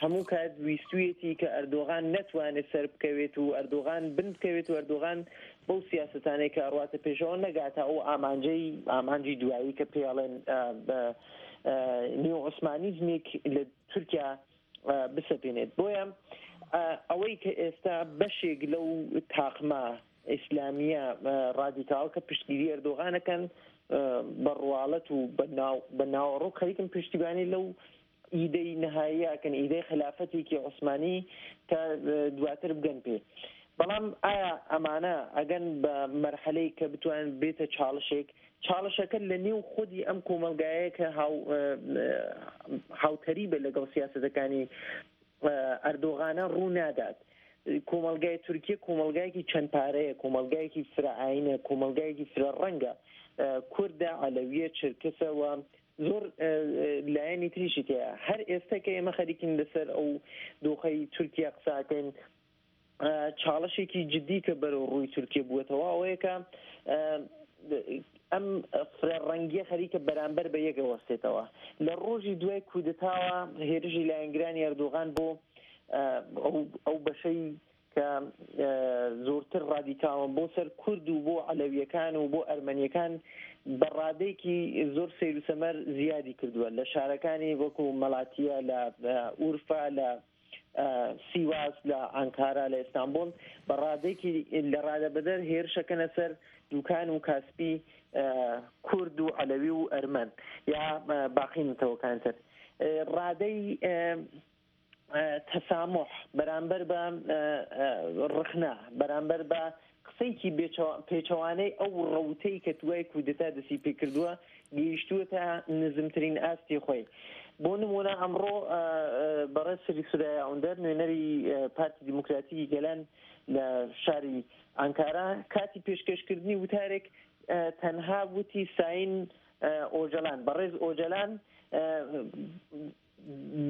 Speaker 15: هەموو کات ویستویەتی کە ئەردۆغان نەتوانێت سەر بکەوێت و ئەردۆغان بن بکەوێت و ئەردۆغان بەو سیاسەتانەی کە ئەڕواتە پێشەوە نەگاتە ئەو ئامانجەی ئامانجی دوایی کە پێڵێن نیو عوسمانیزمێک لە تورکیا بسەپێنێت. بۆیە ئەوەی کە ئێستا بەشێک لەو تاقمە ئیسلامیە ڕادیکاڵ کە پشتگیری ئەردۆغانەکەن بە ڕواڵەت و بە ناوەڕۆک خەریکن پشتیوانی لەو ئیدەی نەهاییەکەن، ئیدەی خلافەتێکی عوسمانی کە دواتر بگەن پێ. بەڵام ئایا ئەمانە ئەگەن بە مەرحەلەی کە بتوانن بێتە چاڵشێک؟ چاڵشەکە لە نێو خودی ئەم کۆمەلگایە کە هاوتەریبە لەگەڵ سیاسەتەکانی ئەردۆغانە ڕوو نادات. کۆمەلگای تورکیا کۆمەلگایەکی چەند پارەیە، کۆمەلگایەکی فرە ئاینە، کۆمەلگایەکی فرە ڕەنگە، کوردە، عەلەویە، چرکەسە و زۆر لایەنی تریشی تێیە. هەر ئێستا کە ئێمە خەریکین لەسەر ئەو دۆخەی تورکیا قساکەین، چاڵشێکی جدی کە بەرەو ڕووی تورکیا بووەتەوە ئەوەیە کە ئەم فرە ڕەنگیە خەریکە بەرامبەر بە یەکە وەستێتەوە. لە ڕۆژی دوای کودەتاوە هێرشی لایەنگرانی ئەردۆغان بۆ ئەو بەشەی کە زۆرتر ڕادیکاڵن بۆ سەر کورد و بۆ عەلەویەکان و بۆ ئەرمەنیەکان بە ڕادەیەکی زۆر سەیر و سەمەر زیادی کردووە لە شارەکانی وەکو مەلاتیە، لە ئورفا، لە سیواس، لە ئانکارا، لە ئیستانبول بە ڕادەیەکی لە ڕادەبەدەر هێرشەکەنە سەر دوکان و کاسپی کورد و عەلەوی و ئەرمەن یا باقی نەتەوەکان تر. ڕادەی تەسامح بەرامبەر بە ڕخنە، بەرامبەر بە قسەیەکی پێچەوانەی ئەو ڕەوتەی کە دوای کودەتا دەستی پێکردووە گەیشتووەتە نزمترین ئاستی خۆی. بۆ نمونە ئەمڕۆ بەڕێز سری سورەیا ئۆندەر نوێنەری پارتی دیموکراتیکی گەلان لە شاری ئانکارا کاتی پێشکەشکردنی وتارێک تەنها وتی ساین ئۆجەلان، بەڕێز ئۆجەلان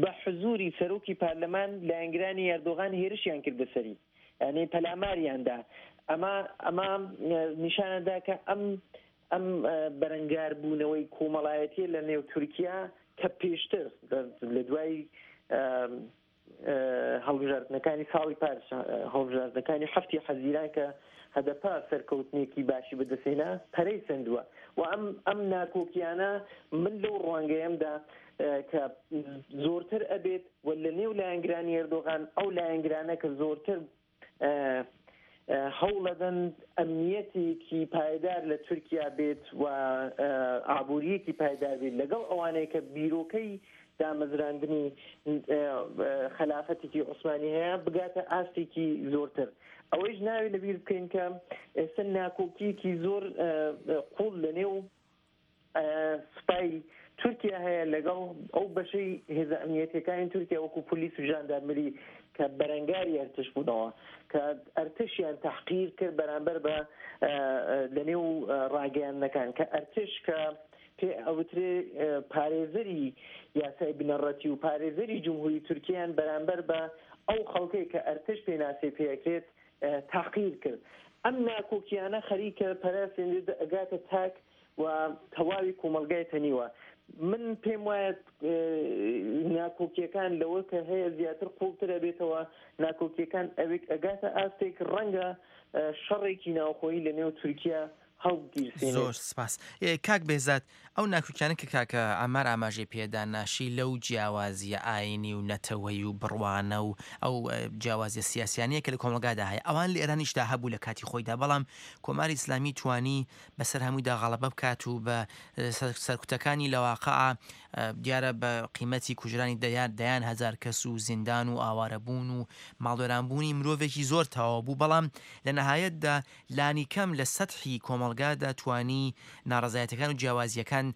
Speaker 15: بە حزوری سەرۆکی پەرلەمان لایەنگرانی ئەردۆغان هێرشیان کردە سەری، یعنی پەلاماریاندا. ئەمە ئەمە نیشانەدا کە ئەم ئەم بەرەنگاربوونەوەی کۆمەڵایەتیە لە نێو تورکیا کە پێشتر لە دوای هەڵبژاردنەکانی ساڵی پار، هەڵبژاردنەکانی هەفتی حەزیران کە هەدەپە سەرکەوتنێکی باشی بەدەستهێنا پەرەی سەندووە و ئەم ئەم ناکۆکیانە من لەو ڕوانگەیەمدا کە زۆرتر ئەبێت و لە نێو لایەنگرانی ئەردۆغان ئەو لایەنگرانە کە زۆرتر هەوڵەدەن ئەمنیەتێکی پایدار لە تورکیا بێت و ئابووریەکی پایدار بێت لەگەڵ ئەوانەیە کە بیرۆکەی دامەزراندنی خەلافەتێکی عوسمانی هەیە بگاتە ئاستێکی زۆرتر. ئەوەیش ناوی لەبیر بکەین کە ئێستا ناکۆکیەکی زۆر قوڵ لە نێو سوپای تورکیا هەیە لەگەڵ ئەو بەشەی هێزە ئەمنیەتیەکانی تورکیا وەکو پۆلیس و ژاندارمەری کە بەرەنگاری ئەرتش بوونەوە، کە ئەرتشیان تحقیر کرد بەرامبەر بە لە نێو ڕاگەیاندنەکان، کە ئەرتش کە پێ ئەوترێ پارێزەری یاسای بنەڕەتی و پارێزەری جمهوری تورکیان بەرامبەر بە ئەو خەڵکەی کە ئەرتش پێناسەی پێکرێت تحقیر کرد. ئەم ناکۆکیانە خەریکە پەرەسێنێت ئەگاتە تاک و تەواوی کۆمەلگای تەنیوە. من پێم وایە ناکۆکیەکان لەوە کە هەیە زیاتر قوڵتر ئەبێتەوە، ناکۆکیەکان ئەوێک ئەگاتە ئاستێک ڕەنگە شەڕێکی ناوخۆیی لە نێو تورکیا هەڵبگیرسێنێت.
Speaker 2: زۆر سپاس. کاک بێزاد، ئەو ناکۆکیانە کە کاکە عەمار ئاماژەی پێدا ناشی لەو جیاوازیە ئاینی و نەتەوەیی و بڕوانە و ئەو جیاوازیە سیاسیانەیە کە لە کۆمەڵگادا هەیە، ئەوان لە ئێرانیشدا هەبوو لە کاتی خۆیدا، بەڵام کۆماری ئیسلامی توانی بەسەر هەموویدا غەڵەبە بکات و بە سەرکوتەکانی لە واقعا دیارە بە قیمەتی کوژرانی دەیان دەیان هەزار کەس و زیندان و ئاوارەبوون و ماڵوێرانبوونی مرۆڤێکی زۆر تەواو بوو، بەڵام لە نەهایەتدا لانیکەم لە سەتحی کۆمەڵگادا توانی ناڕەزایەتەکان و جیاوازییەکان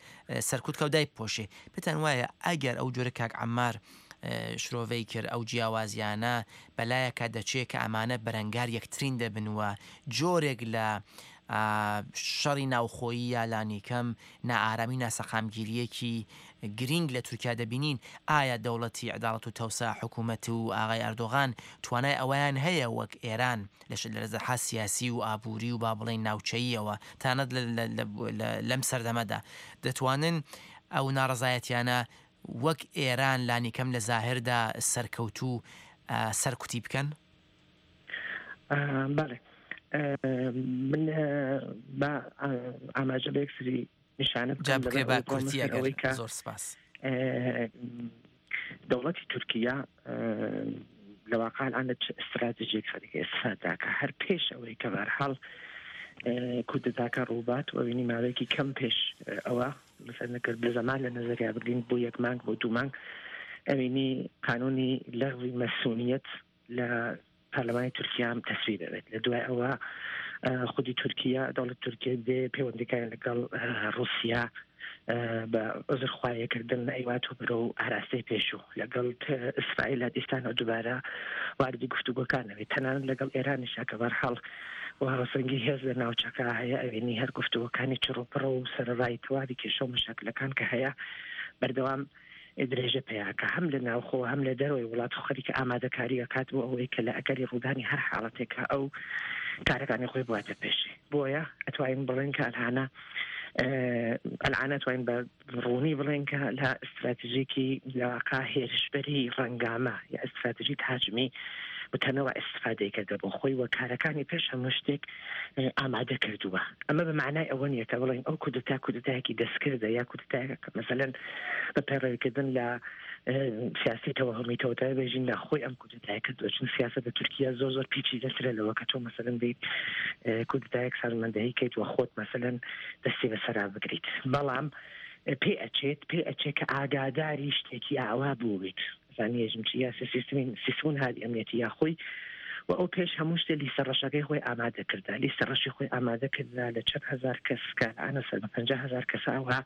Speaker 2: سەرکوت کە و دایبپۆشێ. پێتان وایە ئەگەر ئەو جۆرە کاک عەمار شرۆڤەی کرد ئەو جیاوازیانە بەلایەکا دەچێ کە ئەمانە بەرەنگار یەکترین دەبن و جۆرێک لە شەڕی ناوخۆیی یا لانیکەم نائارامی و ناسەقامگیرییەکی گرینگ لە تورکیا دەبینین، ئایا دەوڵەتی عەداڵەت و تەوسا حکوومەت و ئاغای ئەردۆغان توانای ئەوەیان هەیە وەک ئێران لە لە سیاسی و ئابووری و با بڵێین ناوچەییەوە تەنانەت لەم سەردەمەدا دەتوانن ئەو ناڕەزایەتیانە وەک ئێران لانیکەم لە زاهردا سەرکەوتوو سەرکوتی بکەن؟
Speaker 16: بەڵێ، من با ئاماژە بە یەکسری نیشانە
Speaker 2: جا بکرێ با کورتی ئەگەر زۆر سپاس.
Speaker 16: دەوڵەتی تورکیا لە واقع الآن لە چ ئستراتیژێک خەریکە ئێستاداکە هەر پێش ئەوەی کە بەرحاڵ کودەتاکە ڕووبات و ئەوینی ماوەیەکی کەم پێش ئەوە مثلا نەکرد لە زەمان لە نەزەریا بگرین بۆ یەک مانگ بۆ دوو مانگ ئەوینی قانونی لەغوی مەسونیەت لە پەرلەمانی تورکیا هم تەسویب بێت. لە دوای ئەوە خودی تورکیا دەوڵەت تورکیا دێ پەیوەندیەکان لەگەڵ ڕوسیا بە عوزرخواییکردن ئەیوات و بەرەو ئاراستەی پێشوو لەگەڵ ئیسرائیل دیسانەوە دووبارە واردی گفتوگۆکان ئەوێت، تەنانەت لەگەڵ ئێرانیشا کە بەرحاڵ و هاوسەنگی هێز لە ناوچەکە هەیە ئەوێنی هەر گفتوگۆکانی چڕوپڕ و سەرەڕای تەواوی کێشە و مەشاکلەکان کە هەیە بەردەوام درێژە پیاکە هەم لە ناوخۆ هەم لە دەرەوەی وڵات خەریکە ئامادەکاری ئەکات بۆ ئەوەی کە لە ئەگەری ڕوودانی هەر حاڵەتێکە ئەو کارەکانی خۆی بواتە پێشێ. بۆیە ئەتوانین بڵێن کە ئەلهانە ئەلعانە توانین بە ڕوونی بڵێن کە لە ئستراتیژێکی لەواقع هێرشبەری ڕەنگامە یا ئستراتیژی تاجمی وتەنەوە ئیسفادەی کردە بۆ خۆی و کارەکانی پێش هەموو شتێک ئامادە کردووە. ئەمە بە معنای ئەوە نییە کە بڵێن ئەو کودەتا کودەتایەکی دەستکردە یا کودەتایەکە کە مەسەلەن بە پەیڕەویکردن لە سیاسی تەوەهمی تەوتای بێژین لە خۆی ئەم کودەتای کردووە، چون سیاسەت لە تورکیا زۆر زۆر پیچیدەترە لەوە کە تۆ مەسەلەن بیت کودەتایەک سازماندەهی کەیت و خۆت مەسەلەن دەستی بەسەرا بگریت. بەڵام پێ ئەچێت پێ ئەچێت کە ئاگاداری شتێکی ئاوا بوویت، زانیێژم چی یا سیستمی سیستمون هادی ئەمنیەتی یا خۆی و ئەو پێش هەموو شتێ لیستە ڕەشەکەی خۆی ئامادە کردا، لیستە ڕەشی خۆی ئامادە کردا لە چەند هەزار کەس کە ئەنە سەر بە پەنجا هەزار کەسە ئەوها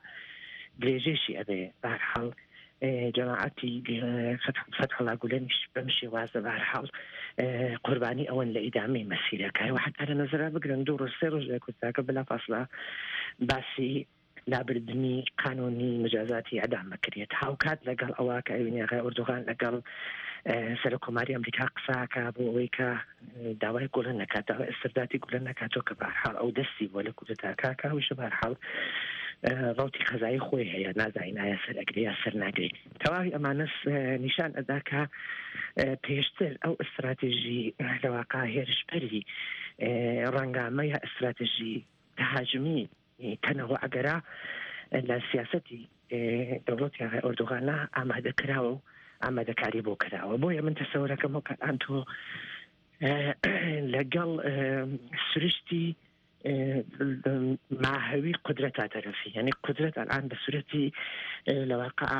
Speaker 16: درێژێشی ئەبێ. بەهەرحاڵ جەماعەتی فەتحوڵا گولەنیش بەم شێوازە بەهەرحاڵ قوربانی ئەوەن لە ئیدامەی مەسیرەکە. و حتا لە نەزەرا بگرن دوو ڕۆژ سێ ڕۆژ لە کوردستاکە بلا فاصلە باسی لابردنی قانونی مجازاتی ئەدام بکرێت. هاوکات لەگەڵ ئەوە کە ئەوینی ئاغای ئەردۆغان لەگەڵ سەرۆک کۆماری ئەمریکا قساکە بۆ ئەوەی کە داوای گولە نەکات، داوای ئسترداتی گولە نەکاتەوە کە بەهەرحاڵ ئەو دەستی بووە لە کودەتاکە، کە ئەویشە بەهەرحاڵ ڕوتی قەزایی خۆی هەیە، نازانین ئایا سەر ئەگرێ یا سەر ناگرێ. تەواوی ئەمانە نیشان ئەدا کە پێشتر ئەو ئستراتیژی لەواقع هێرشبەری ڕەنگامە یا ئستراتیژی تهاجمی تەنەوە ئەگەرا لە سیاسەتی دەوڵەتی ئاغای ئەردۆغانە ئامادە کراوە و ئامادەکاری بۆ کراوە. بۆیە من تەسەورەکەم وەک ئەلان تۆ لەگەڵ سروشتی ماهوی قدرەت تەرەفی، یعنی قدرەت الان بە سورەتی لەواقع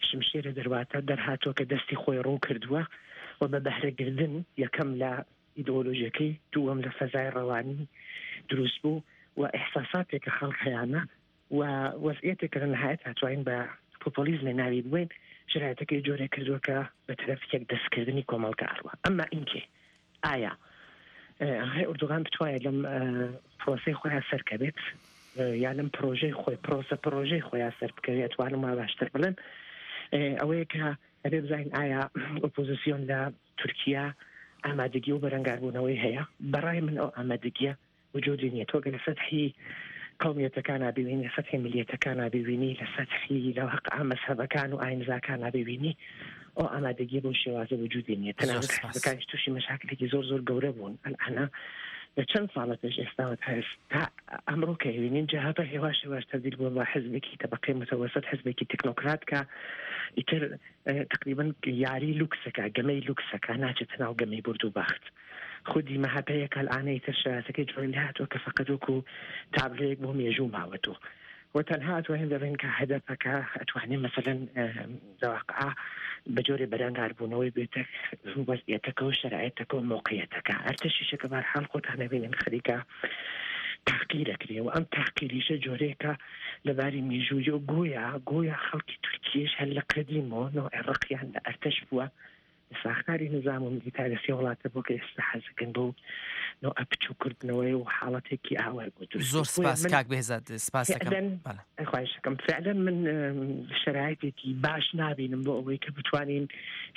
Speaker 16: شمشێرە دەرواتە دەرهاتووە کە دەستی خۆی ڕوون کردووە و بە بەهرەگردن یەکەم لە ئیدۆلۆژیەکەی، دووەم لە فەزای ڕەوانی دروست بوو و ئیحساساتێک کە خەڵک هەیانە و وەزعیەتێک کە لە نهایەت هاتوین بە پۆپۆلیزم ناوی بووین، شرایطەکەی جۆرێک کردووە کە بە تەرەف یەک دەستکردنی کۆمەڵگە ئەڕوا. ئەمما ئینکێ ئایا ئاغای ئەردۆغان بتوانێت لەم پرۆسەی خۆیان سەرکەوێت یا لەم پرۆژەی خۆی پرۆسە پرۆژەی خۆیان سەر بکەوێت، توانم وا باشتر بڵێم ئەوەیە کە ئەبێ بزانین ئایا ئۆپۆزیسیۆن لە تورکیا ئامادەگی و بەرەنگاربوونەوەی هەیە. بەڕای من ئەو ئامادەگیە وجودی نییە. تۆ گەر لە سەتحی قومیەتەکان ببینی، لە سەتحی ملیەتەکان ببینی، لە سەتحی لە واقع مەزهەبەکان و ئاینزاکان ببینی، ئەو ئامادەگی بۆ شێوازە وجودی نییە. تەنانەت حزبەکانیش تووشی مەشاکلێکی زۆر زۆر گەورە بوون. ئەلئانە لە چەند ساڵە پێش ئێستاوە تا تا ئەمڕۆ کە ئەیبینین جەهەپە هێواش هێواش تەبدیل بووە بە حزبێکی تەبەقەی متەوەسەت، حزبێکی تەکنۆکرات کە ئیتر تقریبا یاری لوکسەکە، گەمەی لوکسەکە، ناچێتە ناو گەمەی برد و بەخت. خودی مەهەپەیە کە الآن ئیتر شەراتەکەی جۆری لێهاتووە کە فەقەت وەکو تابلۆیەک بۆ مێژوو ماوەتەوە و تەنها ئەتوانین دەڵێن کە هەدەپەکە ئەتوانێ مەسەلەن لە واقعا بە جۆرێ بەرەنگاربوونەوەی بێتە وەزعیەتەکە و شەرایەتەکە و مەوقعیەتەکە. ئەرتەشیشە کە بەهەرحاڵ خۆتان ئەبینن خەریکە تاقیر ئەکرێ و ئەم تاقیریشە جۆرێکە لە باری مێژوویی و گۆیا گۆیا خەڵکی تورکیەش هەر لە قەدیمەوە نەوعێ ڕقیان لە ئەرتەش بووە، ساختاری نظام و میلیتاریستی وڵاتە بۆ کە ئێستا حەزەکەن بەو نوعە بچووکردنەوەی و حاڵەتێکی ئاوای بۆ دروست
Speaker 2: زۆر
Speaker 16: بێت. بۆیە
Speaker 2: سپاس
Speaker 16: من
Speaker 2: کاک بێهزاد، سپاس دەکەم.
Speaker 16: فعلا
Speaker 2: بەڵێ.
Speaker 16: خواهش دەکەم، فعلا من شەرایتێکی باش نابینم بۆ ئەوەی کە بتوانین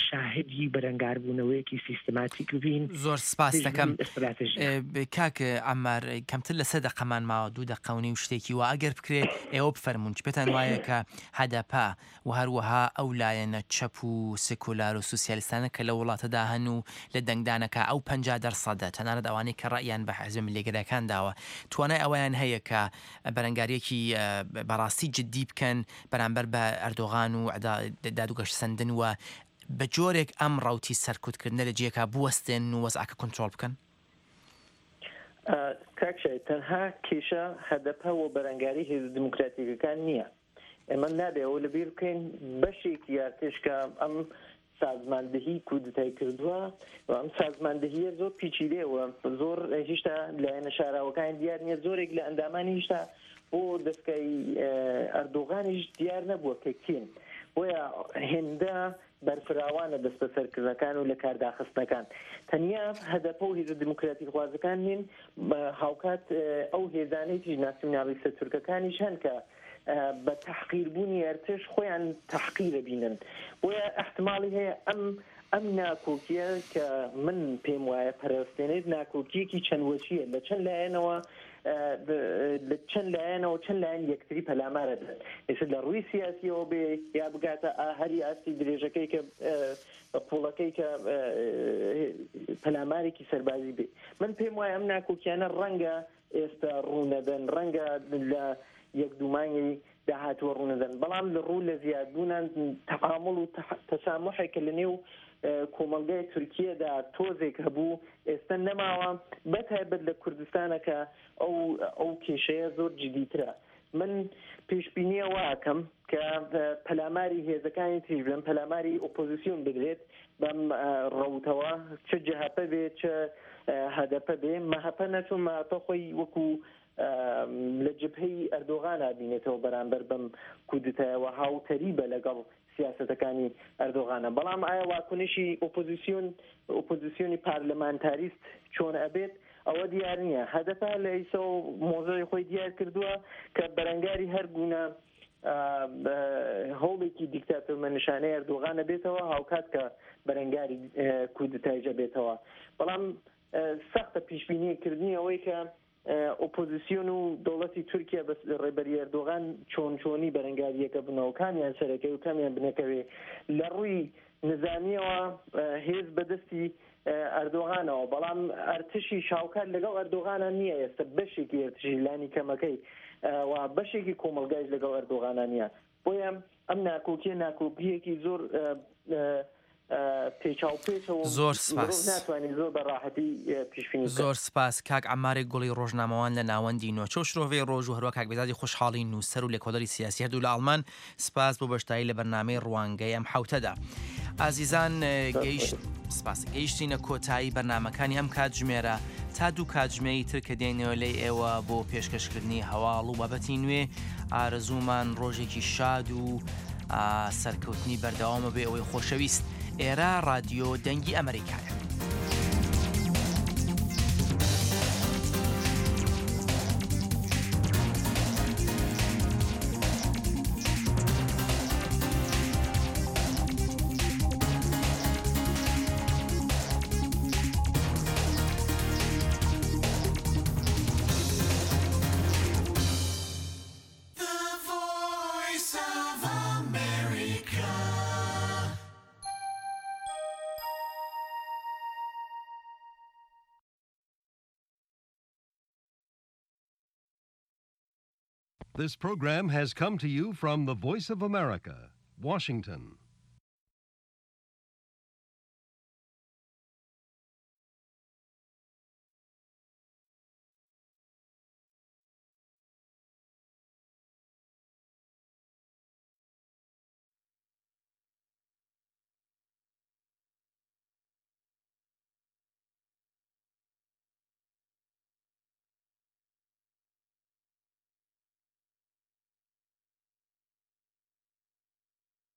Speaker 16: شاهدی بەرەنگاربوونەوەیەکی سیستماتیک بین
Speaker 2: زۆر سپاس
Speaker 16: دژ
Speaker 2: دەکەم.
Speaker 16: بەم ئستراتژیە.
Speaker 2: کاک عەمار کەمتر لە سێ دەقەمان ماوە، دوو دەقە و نیو شتێکی وا، ئەگەر بکرێ ئێوە بفەرموون چ پێتان وایە کە هەدەپە و هەروەها ئەو لایەنە چەپ و سکولار و سوسیالیستانە کە لە وڵاتەدا هەن و لە دەنگدانەکە ئەو پەنجا دەرسەدە تەنانەت ئەوانەی کە ڕەئیان بە حزب ملیگەرەکان داوە توانای ئەوەیان هەیە کە بەرەنگاریەکی بەڕاستی جدی بکەن بەرامبەر بە ئەردۆغان و دادوگەشتسەندن و بە جۆرێک ئەم ڕوتی سەرکوتکردنە لە جێکا بوەستێن و وەزعەکە کۆنترۆڵ بکەن؟
Speaker 15: کاک شای، تەنها کێشە هەدەپە و بەرەنگاری هێزە دیموکراتیکەکان نییە. ئێمە نابێ ئەوە لەبیر بکەین بەشێکی ئارتش کە ئەم سازماندهی کودتای کردووە و ئەم سازماندهیە زۆر پیچیدەیەوە، زۆر هیشتا لایەنە شاراوەکان دیار نییە، زۆرێک لە ئەندامانی هیشتا بۆ دەستکای ئەردۆغانیش دیار نەبووە کە کێن، بۆیە هێندە بەرفراوانە دەستبەسەرکردنەکان و لە کارداخستنەکان. تەنیا هەدەپە و هێزە دیموکراتیک خوازەکان نین، هاوکات ئەو هێزانەی تریش ناسیونالیستە تورکەکانیش هەن کە بە تەحقیربوونی ئەرتش خۆیان تەحقیرە بینن. بۆیە احتمالی هەیە ئەم ئەم ناکۆکیە کە من پێم وایە پەرستێنێت ناکۆکیەکی چەند وەچیە لە چەند لایەنەوە لە چەند لایەنەوە چەند لایەن یەکتری پەلامارە دەن. ئێستا لە ڕووی سیاسیەوە بێ یا بگاتە هەری ئاستی درێژەکەی کە قوڵەکەی کە پەلامارێکی سەربازی بێ. من پێم وایە ئەم ناکۆکیانە ڕەنگە ئێستا ڕوونەدەن، ڕەنگە لە یەک دوو مانگی داهاتووە ڕوونەدەن، بەڵام لە ڕوو لە زیادبوونان تەعامل و تەسامحێک کە لە نێو کۆمەڵگای تورکیەدا تۆزێک هەبوو ئێستا نەماوە، بەتایبەت لە کوردستانە کە ئەو ئەو کێشەیە زۆر جدیترە. من پێشبینیە واکەم کە پەلاماری هێزەکانی تریش بن، پەلاماری ئۆپۆزیسیۆن بدرێت بەم ڕەوتەوە، چ جەهەپە بێ چ هەدەپە بێ. مەهەپە نەچوو، مەهەپە خۆی وەکو لە جبهەی ئەردۆغان بینێتەوە بەرامبەر بەم کودتایەوە هاوتەریبە لەگەڵ سیاسەتەکانی ئەردۆغانە. بەڵام ئایا واکنشی ئۆپۆزیسیۆن ئۆپۆزیسیۆنی پارلەمانتاریست چۆن ئەبێت ئەوە دیار نییە. هەدەپە لە ئیسا و مۆزەی خۆی دیار کردووە کە بەرەنگاری هەرگونە هەوڵێکی دیکتاتۆرمەنشانەی ئەردۆغانە بێتەوە، هاوکات کە بەرەنگاری کودتایجە بێتەوە. بەڵام سەختە پیشبینیکردنی ئەوەی کە ئۆپۆزیسیۆن و دەوڵەتی تورکیا بە ڕێبەری ئەردۆغان چۆن چۆنی بەرەنگاریەکە بنەوە، کامیان سەرەکەی و کامیان بنەکەوێ. لە ڕووی نظامیەوە هێز بەدەستی ئەردۆغانەوە، بەڵام ئەرتشی شاوکات لەگەڵ ئەردۆغانە نییە. ئێستا بەشێکی ئەرتشی لانی کەمەکەی و بەشێکی کۆمەلگایش لەگەڵ ئەردۆغانە نییە. بۆیە ئەم ناکۆکیە ناکۆکیەکی زۆر
Speaker 2: زۆر سپاس. زۆر سپاس کاک عەمارێک گوڵی ڕۆژنامەوان لە ناوەندی نۆچە و شرۆڤەی ڕۆژ و هەروە کاک بێزادی خۆشحاڵی نووسەر و لێکۆڵەری سیاسی هەردوو لە ئاڵمان. سپاس بۆ بەشداری لە بەرنامەی ڕوانگەی ئەم حوتەدا. ئازیزان گەیشت سپاس گەیشتینە کۆتایی بەرنامەکانی ئەم کاتژمێرە تا دوو کاتژمێری تر کە دێنەوە لەی ئێوە بۆ پێشکەشکردنی هەواڵ و بابەتی نوێ. ئارەزوومان ڕۆژێکی شاد و سەرکەوتنی بەردەوامە بێ ئەوەی خۆشەویست. ئێرە رادیۆ دەنگی ئەمریکایە.
Speaker 17: This program has come to you from the Voice of America, Washington.